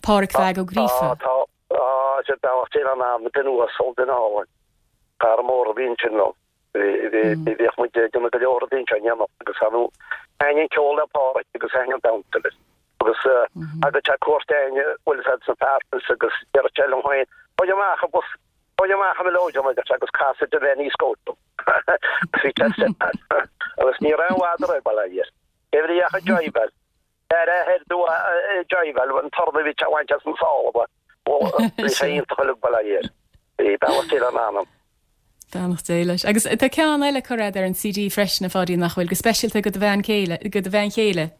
Pádhraic Mheaig Ó Gríofa. Tá, tá, tá, sé beannacht Dé lena anam, duine uasal, duine álainn. Cara mór a bhí ansin liom. Bhí, bhí, bhíodh muid ag déanamh go leor rudaí anseo in éineacht agus ar ndóigh, thaitnigh an ceol le Pádhraic agus thaitnigh an damhsa leis. Agus thagadh sé cuairt orainn, bhfuil fhios a'd, sna Parklands agus deireadh sé liom féin, Faigh amach an bus, Faigh amach an mileoidean, a deir sé, agus casfaidh tú Lenny Scott dom. Bhí sé agus ní raibh i bhfad a raibh bail air. Cé bhrí ach an jive-áil. Ar a thoir dó jive-áil, an torann a bhí sé a bhaint as an sála ba. Bhí sé iontach uilig bail air. Bhí beannacht Dé lena anam. Beannacht Dé leis. Agus tá ceann eile curtha agat ar an CD freisin, a Pháidí, nach bhfuil, go speisialta go do bhean chéile, go do bhean chéile.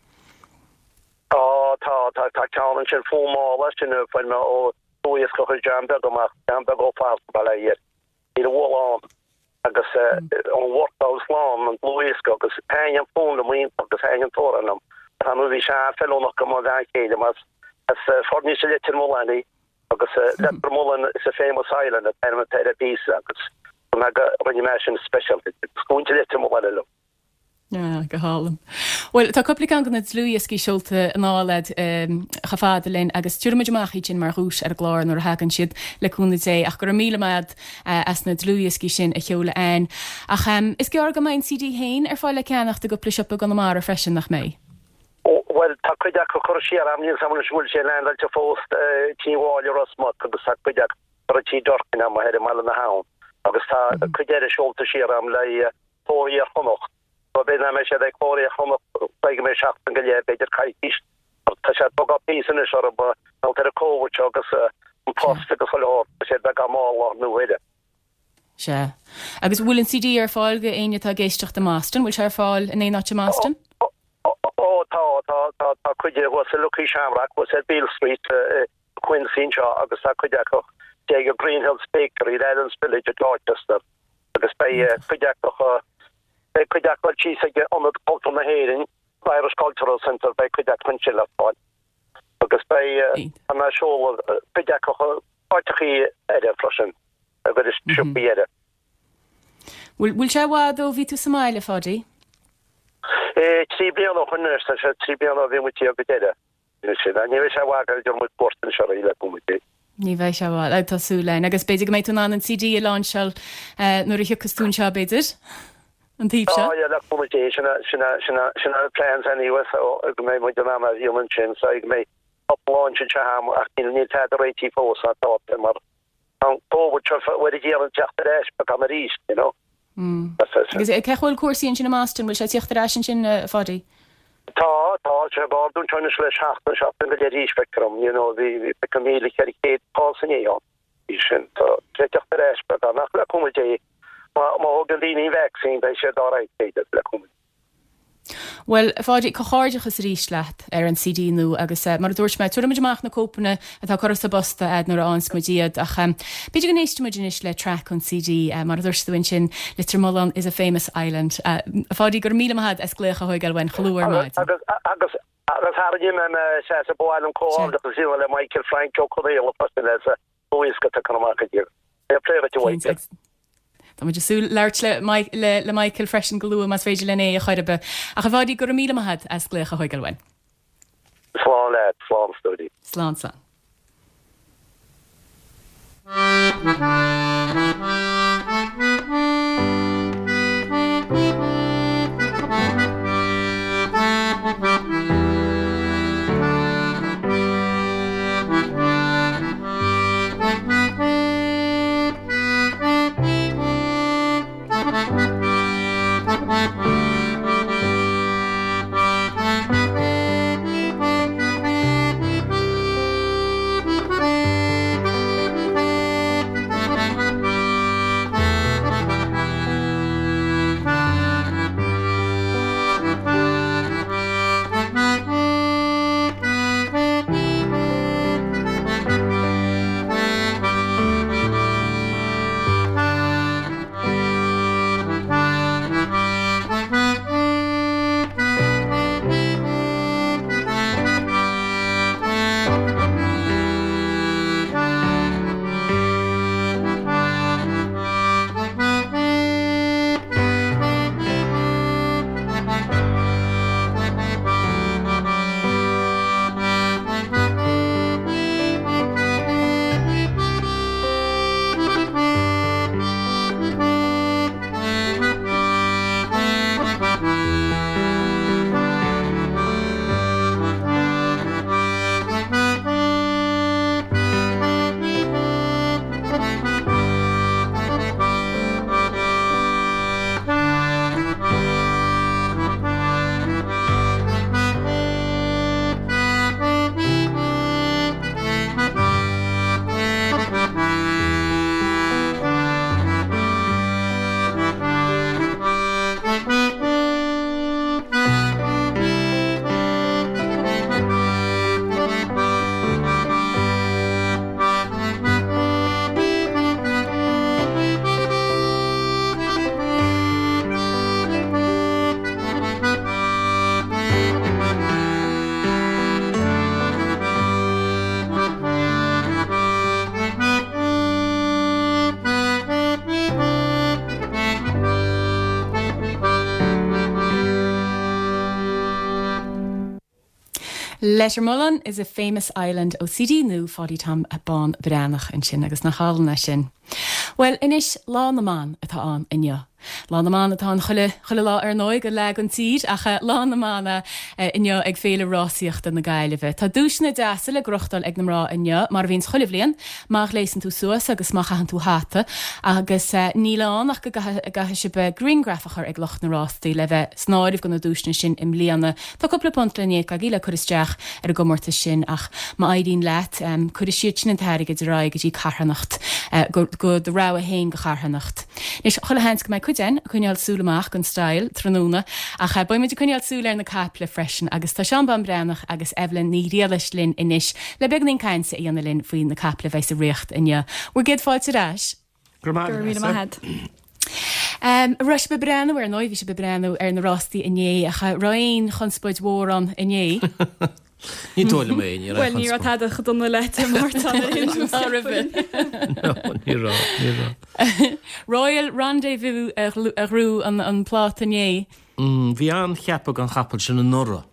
Tá, tá, tá, tá ceann ansin, Fonn Mála, sin a fuair mé ó dlúthdhiosca a chuir John Beag amach, John Beag Ó Fatharta, bail air. Níl a bhualadh ann agus ón Workhouse Lán, an dlúthdhiosca agus thaitnigh an fonn liom iontach agus thaitnigh an t-amhrán liom. Ar ndóigh bhí sé an-fheiliúnach do mo bhean chéile mar as Foirnis i Leitir Mealláin í agus Lettermullen is a famous island an t-ainm atá ar an bpíosa agus rinne mé sin speisialta di. Is muintir Leitir Mealláin liom. Ah, go hálainn. Bhuel, tá cúpla ceann de na dlúthdhioscaí seolta anall agat chomh fada linn agus tabharfaidh muid amach iad sin mar dhuais ar an gclár nuair a thagann siad, le cúnamh Dé. Ach go raibh míle maith agat as na dlúthdhioscaí sin a sheoladh a'ainn. Ach is gearr go mbeidh an CD féin ar fáil le ceannacht i gcúpla siopa i gConamara freisin, nach mbeidh? Bhuel, tá cuid acu curtha siar a'm, níl 's a'm anois an bhfuil sé leaindeáilte fós Tí Mháille Ros Muc agus tá cuid acu curtha Tí Durkin a'm thoir i mBaile na hAbhann agus tá cuid eile seolta siar a'm le Cló Iar-Chonnacht. So b'fhéidir nach mbeidh siad ag Cló Iar-Chonnacht go mbeidh seachtain go leith, b'fhéidir coicís. Tá sé beagán píosa anois orthu mar gheall ar an Covid seo agus an post agus chuile shórt, tá sé beagán mall lá nó uaire. Sea. Agus bhfuil an CD ar fáil go éinne atá ag éisteacht i mBoston? Bhfuil sé ar fáil in aon áit i mBoston? Ó tá, tá, tá, tá cuid thuas i Lucky Shamrock, thuas ar Beale Street, i Quincy anseo agus tá cuid acu ag Green Hills Bakery, in Adams Village i Dorchester. agus beidh cuid acu beidh cuid acu síos ag Ionad Cultúr na hÉireann, Irish Cultural Centre, beidh cuid acu ansin le fáil agus beidh an seoladh cuid acu áiteachaí eile freisin agus siopaí eile. Bhfuil bhfuil sé i bhfad ó bhí tú sa mbaile, a Pháidí? 3 bliana ó shin anois, tá sé 3 bliana ó bhí muid thiar go deireadh. Ní bheidh sé i bhfad go dtiocfaidh muid cuairt anseo arís le cúnamh Dé. Ní bheidh sé i bhfad, tá súil againn. Agus b'fhéidir go mbeidh tú in ann an CD a láinseáil nuair a thiocfas tú anseo, b'fhéidir? An taobh seo? Á, yeah, le cúnamh Dé, sin sin sin sin an plans anyway, so go mbeidh muid in ann a dhéanamh ansin, so go mbeidh cúpla launch anseo agam ach níl níl tada réitithe fós ná tá mar Tá an Covid seo ag iarraidh teacht ar ais beagán arís, you know. Agus cén chaoi a bhfuil cúrsaí ansin i mBoston, bhfuil sé ag tíocht ar ais ansin, a Pháidí? Tá, tá, sé ag ardú anseo anois le seachtain, seachtain go leith arís, feictear dom, you know, bhí, bhí 1,400 cás inné ann, bhí sin, tá sé ag teacht ar ais beagán, ach le cúnamh Dé, má, má thógann daoine an vaccine, beidh siad alright, b'fhéidir, le cúnamh Dé. Bhuel, a Pháidí, comhghairdeachas arís leat ar an CD nua agus mar a dúirt mé, tabharfaidh muid amach na cóipeanna atá curtha sa bposta a'd nuair a fhaigheanns muid iad ach b'fhéidir go n-éistfidh muid anois le traic ón CD, mar a dúirt tú ansin, Leitirmulán is a famous island. A Pháidí, go raibh míle maith a'd as glaoch a thóigeáil uainn chomh luath ar maidin. Agus, agus, agus thar a mbeidh mé sea, ba mhaith liom comhghairdeachas a dhéanamh le Michael Frank Ó Conaola freisin as a dlúthdhiosca atá curtha amach aige. Fair play dhuit a Mhichael. Tá muid ag súil labhairt le le Michael freisin go luath más féidir linn é a chur ar bith. Ach a Pháidí, go raibh míle maith agat as glaoch a thógáil uainn. Slán leat, slán a stóirín. Slán, slán. Lettermullen is a famous island ó CD nua Pháidí Tom Bán Breathnach ansin agus nach álainn é sin. Bhuel anois Lá na mBan atá ann inniu. Lá na mBan atá ann chuile, chuile lá ar ndóigh go leath den tír ach Lá na mBan inniu ag Féile Rásaíochta na Gaillimhe. Tá duaiseanna deasa le gnóthachtáil ag na mná inniu, mar a bhíonns chuile bhliain, má ghléasann tú suas agus má chaitheann tú hata agus níl ann ach go gcaithfidh sibh grianghraf a chur ag lucht na rástaí le bheith san áireamh do na duaiseanna sin i mbliana. Tá cúpla punt le n-íoc agaibh le cur isteach ar an gcomórtas sin ach má éiríonn leat, cuirfidh siad sin an t-airgead ar aghaidh go dtí carthanacht, go do rogha féin de charthanacht. Anois, chuile sheans go mbeidh cuid againn ag coinneáil súil amach don Style tráthnóna ach beidh muid ag coinneáil súil ar na caiple freisin agus tá Seán Bán Breathnach agus Evelyn Ní Ghriallais linn anois le beagáinín cainte a dhéanamh linn faoi na caiple a bheidh sa ríocht inniu. Bhur gcéad fáilte ar ais. Go raibh míle maith agat. An raibh sibh ag breathnú ar ndóigh, bhí sibh ag breathnú ar na rástaí inné ach an raibh aon chonspóid mhór ann inné? Ní dóigh liom é, ní raibh Bhuel, ní raibh tada chomh dona le Dé Máirt ann ar aon nós. No, ní raibh, ní raibh. Royal Rendezvous a ghnóthaigh an pláta inné. Bhí an-cheapadh don chapall sin anuraidh.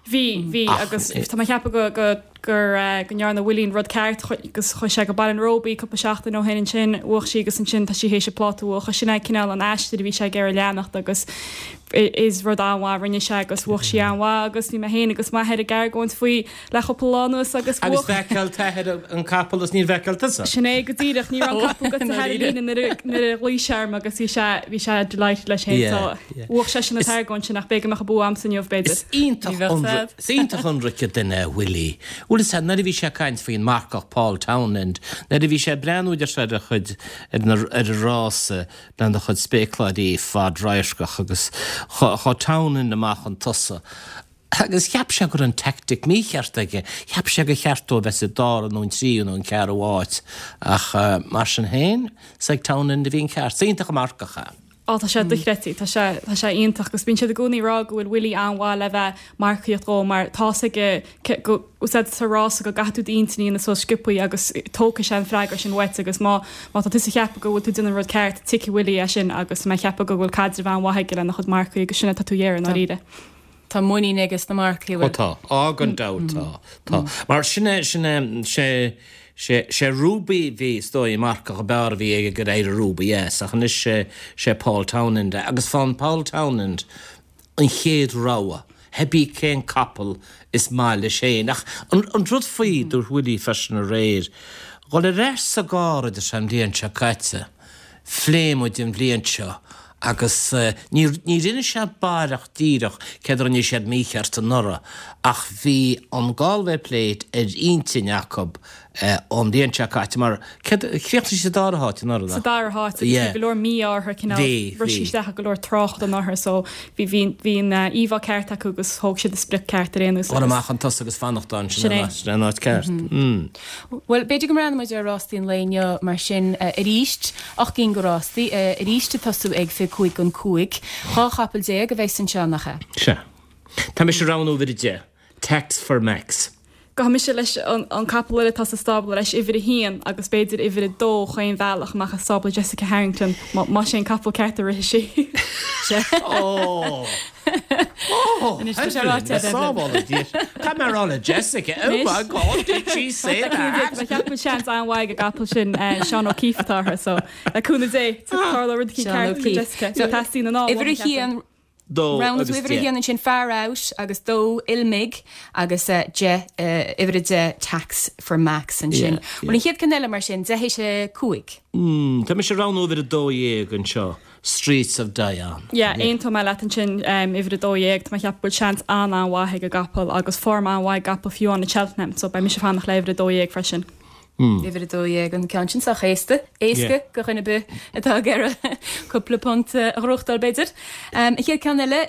Bhí, bhí, agus tá mé ag ceapadh go, go, gur, go ndearna Willie an rud ceart agus chuaigh sé go Baile an Róba cúpla seachtain ó shin ansin, bhuaigh sí agus ansin tá sí théis an pláta a bhuachan. Sin é cineál an aistear a bhí sé ag iarraidh leanacht agus is rud an-mhaith a rinne sé agus bhuaigh sí an-mhaith agus bhí mé féin agus m'athair ag argóint faoi le cúpla lá anuas agus bhuaigh. Agus bhfeiceáil t'athair an capall is níor bhfeiceáil tusa. Sin é go díreach, ní raibh an capall goite thar an líne nuair a, nuair a ghlaoigh sé orm agus bhí sé, bhí sé delighted leis féin so bhuaigh seisean an t-argóint sin ach b'fhéidir go mbeadh an bua a'msa inniu b'fhéidir. Is iontach is iontach ionraice duine é Willie. Bhfuil fhios a'd, nuair a bhí sé ag caint faoin marcach Paul Townend, nuair a bhí sé ag breathnú deir sé ar a chuid, ar na, ar an rása lena chuid spéacláirí fad-radharcach agus chuaigh Townend amach chun tosaigh agus cheap sé go raibh an tactic mícheart aige, cheap sé gur cheart dó a bheith sa dara nó an tríú nó an ceathrú áit ach mar sin féin, is ag Townend a bhí an ceart. Is iontach an marcach é. Á tá sé dochreidte, tá sé, tá sé iontach agus bíonn siad i gcónaí ag rá go bhfuil Willie an-mhaith le bheith marcaíocht dhó mar tá's aige go, úsáid sa rása go gcaithfidh tú d'intinn a dhéanamh suas sciobthaí agus tógfaidh sé an freagra sin uait agus má, má tá tusa ag ceapadh go bhfuil tú ag déanamh an rud ceart, tiocfaidh Willie é sin agus tá mé ag ceapadh go bhfuil caidreamh an-mhaith aige lena chuid marcaí agus sin é atá tú a iarraidh i ndáiríre. Tá muinín aige sna marcaí, an bhfuil? Ó tá. Á gan dabht tá. Tá. Mar sin é, sin é, sé, sé, sé Ruby bhí, is dóigh, an marcach ab fhearr a bhí aige gur éirigh Ruby as, ach anois sé, sé Paul Townend é. Agus faigheann Paul Townend an chéad rogha, hebí cén capall is maith leis féin. Ach an, an rud faoi, dúirt Willie freisin aréir, dhul ar ais sa gcarr a deir sé an bhliain seo caite, Phléigh muid an bhliain seo agus ní ní rinne sé baireach díreach céard a rinne siad mícheart anuraidh ach bhí an Galway Plate ar intinn acu ón bhliain seo caite mar céard chríochnaigh siad sa dara háit anuraidh Sa nach? dara háit agus bhí Yeah. go leor mí-ádh orthu cineál Bhí, rith sí bhí. isteach i go leor trácht anuraidh so bhí bhí bhí an íomhá ceart acu agus thóg siad an sprioc ceart ar aon nós Dul agus amach chun tosaigh agus fanacht ann sin Sin é. é sin é an áit ceart. Mm. Bhuel, b'fhéidir go mbreathnóidh muid ar rástaí an lae inniu mar sin arís. 8 gcinn de rástaí, arís ag tosú ag 5 don 5. 12 chapall a bheas anseo, nach ea? Sea. Tá mise ag roghnú uimhir 10, Tax for Max. Gabhfaidh mise leis an capall eile atá sa stábla leis, uimhir 1, agus b'fhéidir uimhir 2 chaon bhealach amach as stábla Jessica Harrington, más é an capall ceart a rithfidh sí. Sea. Ó! Anois tá sé ráite ag Evelyn. Caithfidh mé a rá le Jessica, oh my God, did she say that? Tá ceapaim seans an-mhaith ag an gcapall sin Seán O'Keeffe atá orthu, so le cúnamh Dé, tarlóidh rud eicínt Seán ceart go O'Keeffe. Jessica. So teastaíonn an ádh Uimhir uathu, ceapaim. 1, Dó roghnaigh agus tú uimhir a 10. haon ansin, Far Out agus dó, Il Mig agus 10, uimhir a 10, Tax for Max ansin. Yeah, Bhuel yeah. an chéad ceann eile mar sin, 10 théis a 5. Tá mise ag roghnú uimhir a 12 anseo. Streets of Dion. Yeah, aontóidh mé leat ansin, uimhir 12, tá mé ag ceapadh go bhfuil seans an-an-mhaith ag an gcapall agus form an-mhaith ag an gcapall fiú amháin i Cheltenham, so beidh mise ag fanacht le uimhir 12 freisin. Uimhir 12, an ceann sin sách éasta, éasca do dhuine ar bith atá ag iarraidh cúpla punt a ghnóthachtáil b'fhéidir. An chéad ceann eile,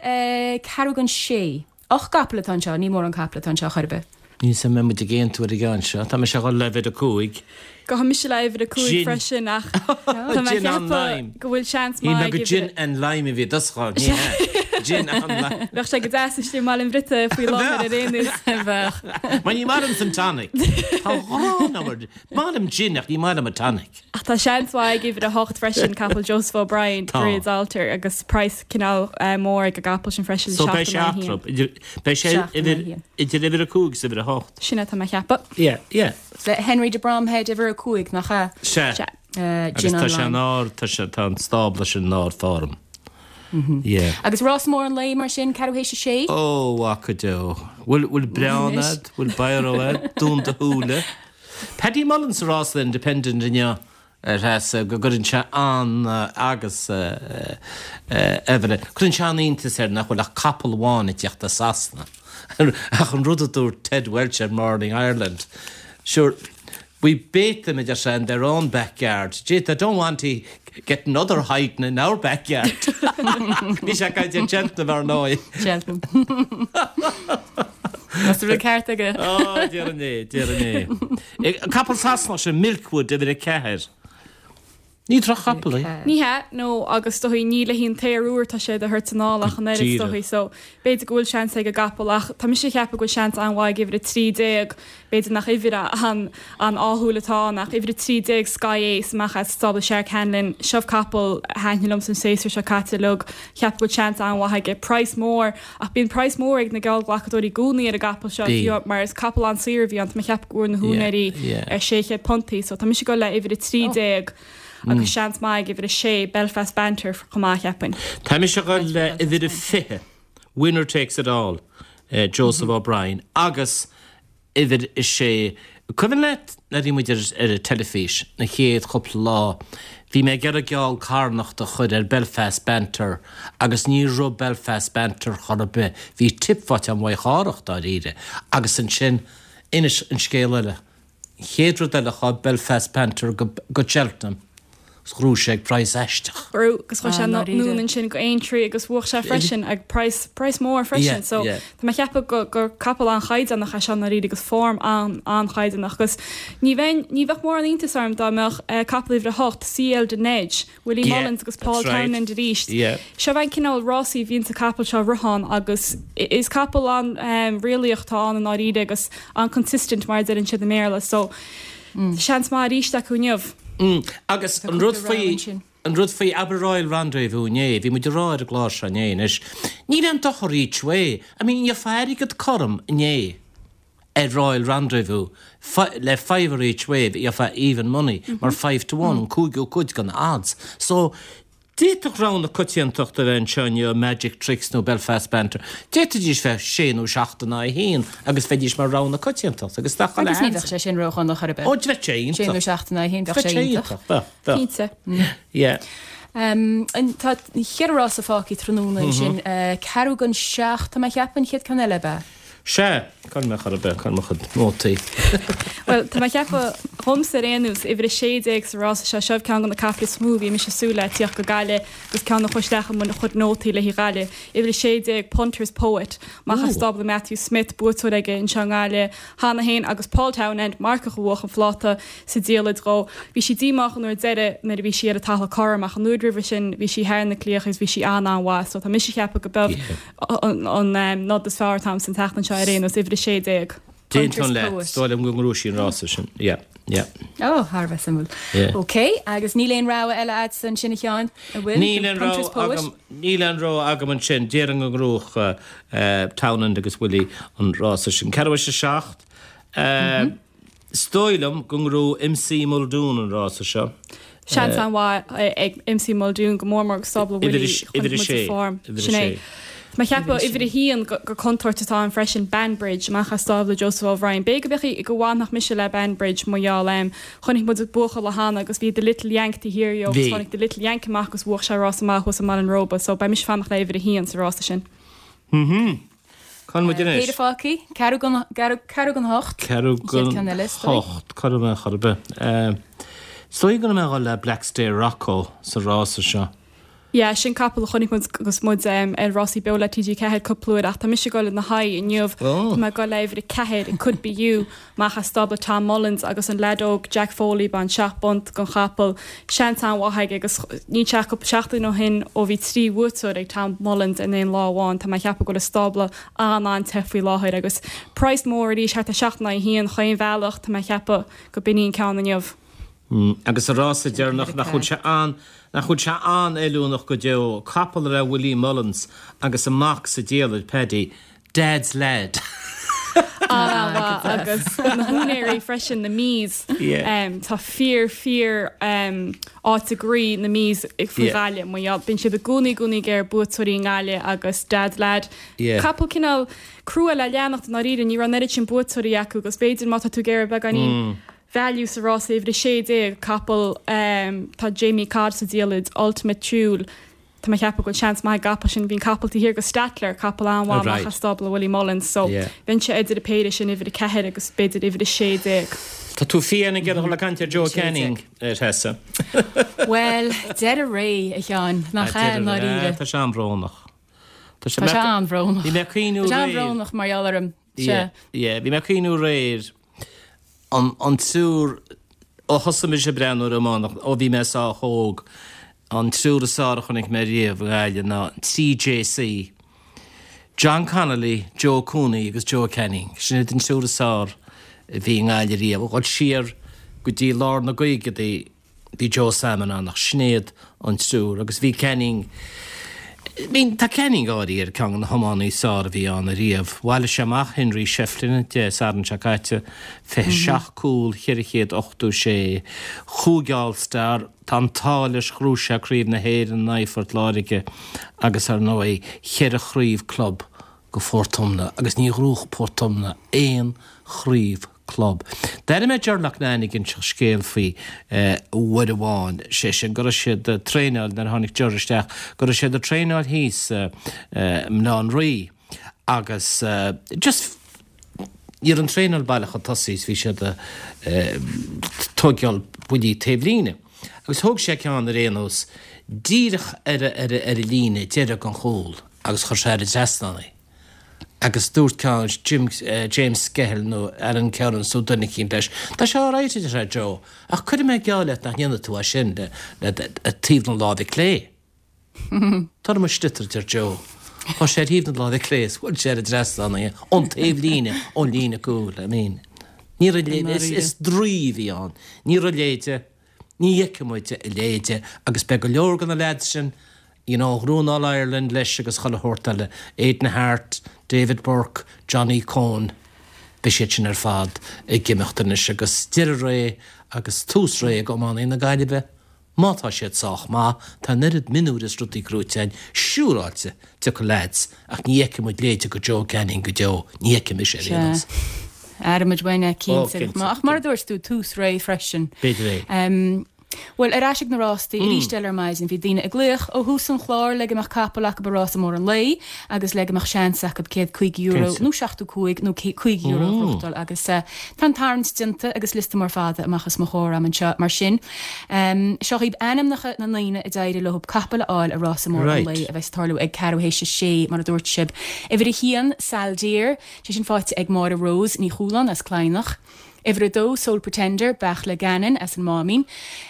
ceathrú don sé. 8 gcapall atá anseo, ní mórán capall atá anseo chor ar bith. Níl 's a'm an mbeidh muid ag aontú ar an gceann seo. Tá mise ag dhul le uimhir a 5. Gabhfaidh mise le uimhir a 5 Gin. freisin ach tá mé ag Gin on ceapadh lime. go bhfuil seans Shíl mé maith ag go uimhir gin and lime a bhí i dtosach ann. Ní hea. Gin on lime. Bheadh sé go deas istigh i mBaile an Bhriotaigh faoi láthair ar aon nós. Bheadh. Mar ní maith liomsa an tonic. Tá ghrán agam ar. Maith liom gin ach ní maith liom an tonic. Ach tá seans mhaith ag uimhir 8 freisin, capall Joseph O'Brien, Tá. Druids Altar, agus praghas cineál mór ag an gcapall sin freisin, So beidh 7 sé in aghaidh a haon. eatarthu, idir, beidh sé 7 in idir, aghaidh a haon. idir uimhir 5 agus uimhir 8. Sin é atá mé a cheapadh. Yeah, yeah. Le Henry de Bromhead, uimhir 5, nach ea? Sea. Sea. Agus Gin tá sé on in Lime. ard, tá sé, tá an stábla sin in ardfhorm. Yeah. Agus rás mór an lae mar sin, ceathrú théis a sé? Ó, mhac go deo. Bhfuil, bhfuil breán Anois. a'd? Bhfuil biro a'd? Dún do shúile. Paddy Mullins sa rás le Independent inniu a Threasa go gcuireann sé an agus Evelyn, cuireann sé an-iontas air nach bhfuil ach capall amháin ag tíocht as Sasana. Ach an rud a dúirt Ted Welch ar Morning Ireland, sure, we bait them, a deir sé, in their own backyard. Gee, they don't want to get another hiding in our backyard. Bhí sé ag caint ar Cheltenham ar ndóigh. Cheltenham. Tá an rud ceart aige. Ó, déarfainn é, déarfainn é. An capall Sasanach sin, Milkwood, uimhir 4. Ní droch-chapall é. Ní hea, no, agus is dóichí ní le haghaidh an t-aon uair atá sé á thabhairt anall ach an oiread is dóichí, so b'fhéidir go bhfuil seans ag an gcapall ach tá mise ag ceapadh go bhfuil seans an-mhaith ag uimhir 13, B'fhéidir nach uimhir an-ádhúil atá ann ach uimhir 13 Sky Ace amach as stábla Searc Hanlon. Seo capall a thaitnigh liomsa an séasúr seo caite uilig. Cheapfainn go bhfuil seans an-mhaith aige. Praghas mór, ach bíonn praghas mór ag na geallghlacadóirí i gcónaí ar an gcapall seo, fiú mar is capall an-saor a bhí ann. Tá mé ag ceapadh go bhfuair na húinéirí ar £600 í so tá mise ag dul le uimhir 13 agus seans maith ag uimhir 6 Belfast Banter chomh maith, cheapfainn. Tá mise ag dul le uimhir 20. Winner takes it all, Joseph O'Brien agus uimhir a sé. Cuimhin leat nuair a bhí muid ar an teilifís na chéad chúpla lá, bhí mé ag iarraidh geall carnachta a chur ar Belfast Banter agus ní raibh Belfast Banter chor ar bith. Bhí tip faighte a'm Mhaigh Chárthach dáiríre agus ansin, inis an scéal eile. An chéad rud eile chuaigh Belfast Banter go Cheltenham. 's ghnóthaigh sé ag praghas aisteach. Ghnóthaigh agus chuaigh sé anonn ansin go Aintree agus bhuaigh sé freisin ag praghas, praghas mór freisin. So tá mé ag ceapadh go, gur capall an-chaighdeánach é seo i ndáiríre agus form an, an-chaighdeánach agus ní bheinn, ní bheadh mórán iontais orm dá mbeadh capall uimhir a hocht, CL de Neige, Willie Mullins agus Paul Townend arís. Seo an cineál rásaí a bhíonns an capall seo ag rith ann agus is capall an-réalaíoch atá ann i ndáiríre agus an-consistent mar a deireann siad i mBéarla so seans maith arís acu inniu. Agus an rud faoi, an rud faoi abair Royal Rendezvous inné, bhí muid ag rá ar an gclár seo inné anois, níl aon dochar each way, I mean gheofá airgead cothrom inné. ar Royal Rendezvous le fiver each way gheofá even money mar 5 to 1 an cúigiú cuid den odds. So d'fhéadfadh rogha na coitiantachta a bheith anseo inniu, Magic Tricks nó Belfast Banter. D'fhéadfaidís bheith sé nó seacht in aghaidh a haon agus bheidís mar rogha na coitiantachta agus nach Agus ní bheadh sé sin ródhona chor ar bith. Ó bheadh sé iontach. Sé nó seacht in aghaidh a haon bheadh sé iontach. Bheadh, bheadh. Cinnte. Yeah. Tá cheithre rása fágtha tráthnóna ansin. Ceathrú don seacht tá mé ag ceapadh an chéad ceann eile ab ea? Sea, cá bhfuil mé chor ar bith, cá bhfuil mo chuid nótaí. Bhuel, tá mé ag ceapadh, dhomsa ar aon nós, uimhir 16 sa rása seo, seo ceann de na caiple is mó a bhí mise ag súil le tíocht go Gaillimh agus ceann a chuaigh isteach i mo chuid nótaí le haghaidh Ghaillimh. Uimhir 16, Punters Poet, amach as stábla Matthew Smith, buaiteoir aige anseo i nGaillimh cheana féin agus Paul Townend, marcach a bhuach an phláta sa diallait dhó. Bhí sí díomách an uair deiridh nuair a bhí sí ar an talamh cothrom ach an uair roimhe sin bhí sí thar na claíocha agus bhí sí an-an-mhaith so tá mise ag ceapadh go beidh an nod is fearr atá a'msa an tseachtain seo ar aon nós, uimhir 16. D'aontóinn leat, is dóigh liom go ngnóthóidh sí an rása sin. Yeah, yeah. Ó, thar a bheith suimiúil. Yeah. Ok, agus níl aon rogha eile a'dsa ansin a Sheáin, an bhfuil? Níl aon rogha agam, níl aon rogha agam ansin. Déarfainn go ngnóthódh Townend agus Willie an rása sin. Ceathrú théis a 7. Is dóigh liom go ngnóthóidh MC Muldoon an rása seo. Seans an-mhaith ag MC Muldoon, go mór mór ag stábla Willie, chonaic muid a form. Sin é. Tá mé ag ceapadh uimhir a haon gur contúirt atá ann freisin, Banbridge, amach as stábla Joseph O'Brien. B'fhéidir go mbeadh, go bhfanfadh mise le Banbridge mar gheall em. Chonaic muid buachaill cheana agus bhí The Little Yank taobh thiar dhó agus tháinig The Little Yank amach agus bhuach sé rás maith thuas i mBaile an Róba so beidh mise ag fanacht le uimhir a haon sa rása sin. Cá bhfuil muid anois? Péire fágtha, ceathrú don, ceathrú don hocht. Ceathrú don hocht, cá raibh mé chor ar bith. Is dóigh go raibh mé ag dul le Blackstair Rocco sa rása seo. Yeah, sin capall a chonaic muid agus muid ar Rásaí Beo le TG4 cúpla uair ach tá mise ag dul ina haghaidh inniu. Tá mé ag dul le uimhir 4, It Could Be You, amach as stábla Tom Mullins agus an leaid óg Jack Foley ag baint 7 bpunt den chapall. Seans an-mhaith aige agus níl sé ach cúpla seachtain ó shin ó bhí 3 bhuaiteoir ag Tom Mullins in aon lá amháin. Tá mé ag ceapadh go bhfuil a stábla an-an-te faoi láthair agus praghas mór arís, thart ar 7 in aghaidh 1 chaon bhealach, tá mé ag ceapadh go b'in í an ceann inniu. Agus sa rása deireanach, nach bhfuil sé an, nach bhfuil sé an-fheiliúnach go deo, capall le Willie Mullins agus a mac sa diallait, Paddy, Dad's lad. An-mhaith agus na húinéirí freisin, na Mees. Tá fíor, fíor áit i gcroí na Mees faoi Ghaillimh. Mar gheall, bíonn siad i gcónaí, i gcónaí ag iarraidh buaiteoirí i nGaillimh agus Dad's lad. Capall cineál crua le leanacht i ndáiríre, ní raibh an oiread sin buaiteoirí acu agus b'fhéidir má tá tú ag iarraidh beagáinín value sa rása uimhir 16, capall, tá Jamie Codd sa diallait, Ultimate Thule. Tá mé ag ceapadh go bhfuil seans maith ag an gcapall sin. Bhí an capall taobh thiar de Stattler, capall an-mhaith amach as stábla Willie Mullins, so bheinnse idir an péire sin, uimhir 4 agus b'fhéidir uimhir 16. Tá tú fiáin ag iarraidh dul ag caint ar Joe Canning, a Threasa. Bhuel, deireadh ré, a Sheáin, nach ea, i ndáiríre? Tá sé an-bhrónach. Tá sé an-bhrónach. Bhí mé ag cuimhniú aréir. Tá sé an-bhrónach mar gheall orm. Sea. Bhí mé ag cuimhniú aréir an triúr, ó thosaigh mise ag breathnú ar iománacht, ó bhí mé sách óg, an triúr is fearr a chonaic mé riamh i nGaillimh ná an 3JC, John Connolly, Joe Cooney agus Joe Canning. Sin iad an triúr is fearr a bhí i nGaillimh riamh. Ag dul siar go dtí lár na gcaogaidí, Bhí Joe Sammon ann ach sin iad an triúr agus bhí Canning, I mean tá Canning áirithe ar ceann de na hiománaí is fearr a bhí ann ariamh. Bhailigh sé amach Henry Shefflin Dé Sathairn seo caite, 27 cúl, 486, chúig All Star, tá an t-ádh leis ghnóthaigh sé Craobh na hÉireann in aghaidh Phort Láirge agus ar ndóigh cheithre chraobh club go Phort Omna agus ní ghnóthaigh Port Omna aon chraobh club. D'airigh mé Ger Loughnane ag inseacht scéal faoi uair amháin, sé sin go raibh siad ag traenáil, nuair a tháinig Ger isteach, go raibh siad ag traenáil thíos i mBaile Átha an Rí agus just ní raibh an traenáil baileach chun tosaigh is bhí siad ag tóigeáil buillí taobhlíne. Agus thóg sé ceann ar aon nós, díreach ar ar ar an líne deiridh den chúl agus chuir sé thar an trasnán í. Agus dúirt ceann, Jim, James Skehill nó Alan Kerins nó duine eicínt leis, Tá sé alright, a deir sé, Joe, ach cuirfidh mé geall leat nach ndéanfaidh tú é sin le le taobh na láimhe clé. Tar mo sliotar, a deir Joe. Chuir sé ar thaobh na láimhe clé is bhuail sé thar an trasnán í, ón taobh líne, ón líne cúil, I mean. Ní raibh leithéid, is, is draoi a bhí ann. Ní raibh a leithéide, ní fheicfidh muid a leithéide agus beidh go leor de na leaids sin, you know, a ghnóthaigh an All-Ireland leis agus chuile shórt eile, Aidan Harte, David Burke, Johnny Coen, beidh siad sin ar fad ag imeacht anois agus deireadh ré agus tús ré ag iománaí na Gaillimhe. Má tá siad sách maith, tá an oiread mionúir is rudaí gnóite againn, siúráilte, tiocfaidh leaids, ach ní fheicfidh muid leithéide de Joe Canning go deo, ní fheicfidh mise ar aon nós. Sea. Aireoidh muid uainn é, cinnte. Ó, cinnte. Ach mar a dúirt tú, tús ré freisin. B'fhéidir é. Bhuel, ar ais ag na rástaí arís eile ar maidin, bhí daoine ag glaoch ó thús an chláir le go mbeadh capall acu i rás mór an lae agus le go mbeadh seans acu €105 nó 75 nó €50 a ghnóthachtáil agus tá an tarraingt déanta agus liosta mór fada amach os mo chomhair agam anseo mar sin. Seo dhaoibh ainmneacha na ndaoine a d'éirigh leo capall a fháil i rása mór an lae a bheas ag tarlú ag ceathrú théis a sé, mar a dúirt sibh. Uimhir a haon, Saldier, sé sin faighte ag Máire Rose Ní Chualáin as Cladhnach. Uimhir a dó, Sole Pretender, Beartla Gannon as an Máimín.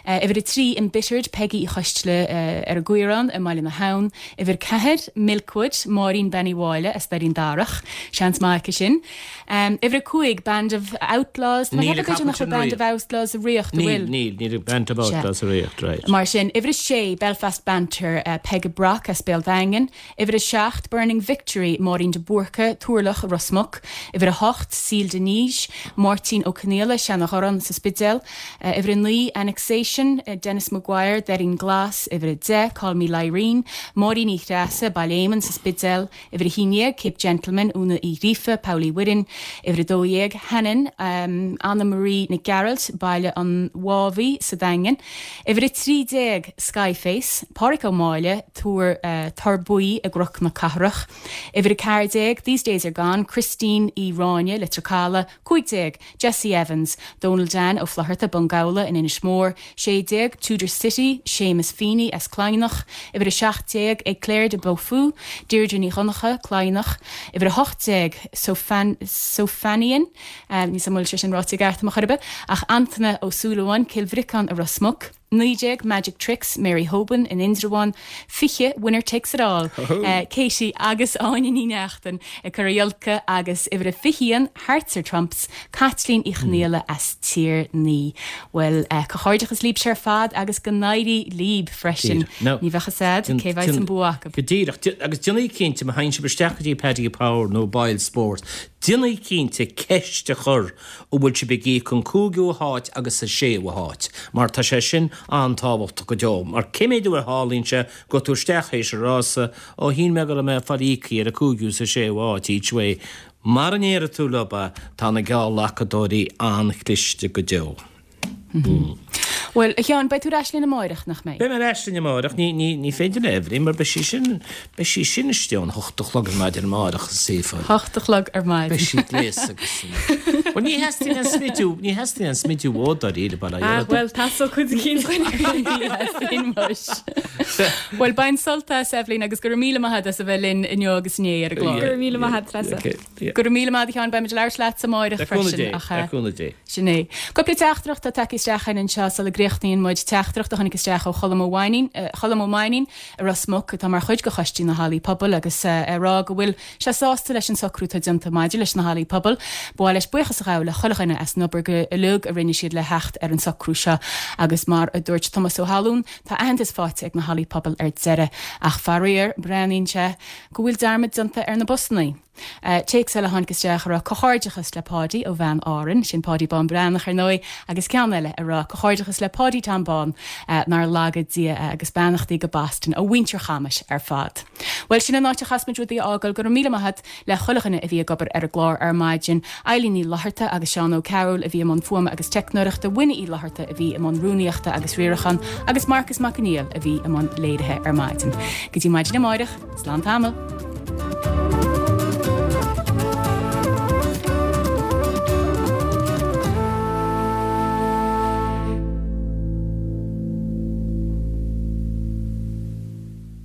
Uimhir a trí, Embittered, Peggy Uí Choisteala ar an gCaorán i mBaile na hAbhann. Uimhir 4, Milkwood, Máirín Bean Uí Mháille as Doirín Darach. Seans maith aici sin. Uimhir 5, Band of Outlaws. Tá mé ag ceapadh b'fhéidir nach bhfuil Band of Outlaws i riocht, an bhfuil? Níl, níl, níl Band of Outlaws i riocht, right. Mar sin, uimhir 6, Belfast Banter, Peig Brock as Béal Daingean. Uimhir 7, Burning Victory, Máirín de Búrca, Turlach, Ros Muc. Uimhir 8, Seal de Nice, Máirtín Ó Conaola, Seanadh-Ghorán sa Spidéal. Uimhir 9, Annexation, Denis Maguire, Doirín Glas. Uimhir 10, Call Me Lyrene, Máirín Uí Threasa, Baile Éamainn sa Spidéal. Uimhir 11, Cape Gentleman, Úna Uí Ghríofa, Poll Uí Mhuirinn. Uimhir 12, Hannon, Anna Marie Nic Gearailt, Baile an Mhámhaí sa Daingean. Uimhir 13, Skyface, Páraic Ó Máille, Tuar Tor Buí i gCnoc na Cathrach. Uimhir 14, These Days Are Gone, Christine Uí Ráinne, Leitir Caladh. 15, Jessie Evans, Dónal Dan Ó Flaithearta, Bun Gabhla in Inis Mór. 16, Tudor City, Séamus Feeney as Cladhnach, Uimhir 17, Eclair de Beaufou, Deirdre Ní Dhonncha, Cladhnach, Uimhir 18, Sophanian, níl 's a'm an bhfuil sé sin ráite i gceart ar chor ar bith, ach Antaine Ó Súilleabháin, Cill Bhriocáin i Ros Muc, 19, Magic Tricks, Mary Hoban in Indreabhán, 20, Winner Takes It All, Katie agus Áine Ní Neachtain ag Cora Iolca agus uimhir 21, Hearts Are Trumps, Caitlín Uí Chonghaile as Tír Naoi. Bhuel, comhghairdeachas libhse ar fad agus go n-éirí libh freisin. Ní bheadh fhios a'd cé bheidh an bua acu. Go díreach. Agus déanaigí cinnte, má théann sibh isteach go dtí Paddy Power nó Boyle Sports, déanaigí cinnte ceist a chur an bhfuil sibh ag íoc an cúigiú háit agus an séú háit, mar tá sé sin an-tábhachtach go deo. Mar cé mhéad uair a tharlaíonn sé go tú isteach théis an rása, ó shíl mé go raibh mé ag fáil íoctha ar an cúigiú is an séú háit each way. Mara ndéarfaidh tú leo é, tá na geallghlacadóirí an-chliste go deo. Bhuel, a Sheáin, beidh tú ar ais linn amáireach, nach mbeidh? Beidh mé ar ais linn amáireach. Ní, ní, ní féidir le Eibhlín, mar beidh sí sin, beidh sí sin istigh ón hocht a chlog ar maidin amáireach, is saofa. Hocht a chlog ar maidin. Beidh sí gléasta agus san. Bhuel, ní theastaíonn aon smidiú, ní theastaíonn aon smidiú uait dáiríre, bail ó Dhia ort. Ah, bhuel, theastódh cuid eicínt uainn. Ní theastaíonn muis. Bhuel, bain sult as, Eibhlín, agus go raibh míle maith agat as a bheith linn inniu agus inné ar an gclár. Go raibh míle maith agat, Treasa. Go raibh míle maith agat, a Sheáin, beimid ag labhairt leatsa amáireach freisin. Le cúnamh Dé, le cúnamh Dé. Sin é. Cúpla teachtaireacht atá tagtha isteach againn anseo sula gcríochnaíonn muid. Teachtaireacht a tháinig isteach ó Cholm Ó Mainnín, Cholm Ó Mainnín i Ros Muc atá mar chuid de Choistí na Hallaí Pobail agus ag rá go bhfuil sé sásta leis an socrú atá déanta maidir leis na hallaí pobail. Ba mhaith leis buíochas a ghabháil le chuile dhuine as an obair go uilig a rinne siad le theacht ar an socrú seo agus mar a dúirt Tomás Ó hAllún, tá aitheantas faighte ag na hallaí pobail ar deireadh. Ach faraor, breathnaíonn sé go bhfuil dearmad déanta ar na busannaí. Téacs eile a tháinig isteach ag rá comhghairdeachas le Páidí ó bhean Árann, sin Páidí Bán Breathnach ar ndóigh, agus ceann eile ag rá comhghairdeachas le Páidí Tom Bán, nár laga Dia é, agus beannachtaí go Boston ó mhuintir Chamais ar fad. Bhuel, sin an áit a chaithfeas muid rudaí a fhágáil. Go raibh míle maith agat le chuile dhuine a bhí ag obair ar an gclár ar maidin, Eilín Ní Fhlatharta agus Seán Ó Cearúil a bhí i mbun fuaime agus teicneoireachta, Winnie Uí Fhlatharta a bhí i mbun rúnaíochta agus riaracháin agus Marcus Mac Conghail a bhí i mbun léirithe ar maidin. Go dtí maidin amáireach, slán tamall!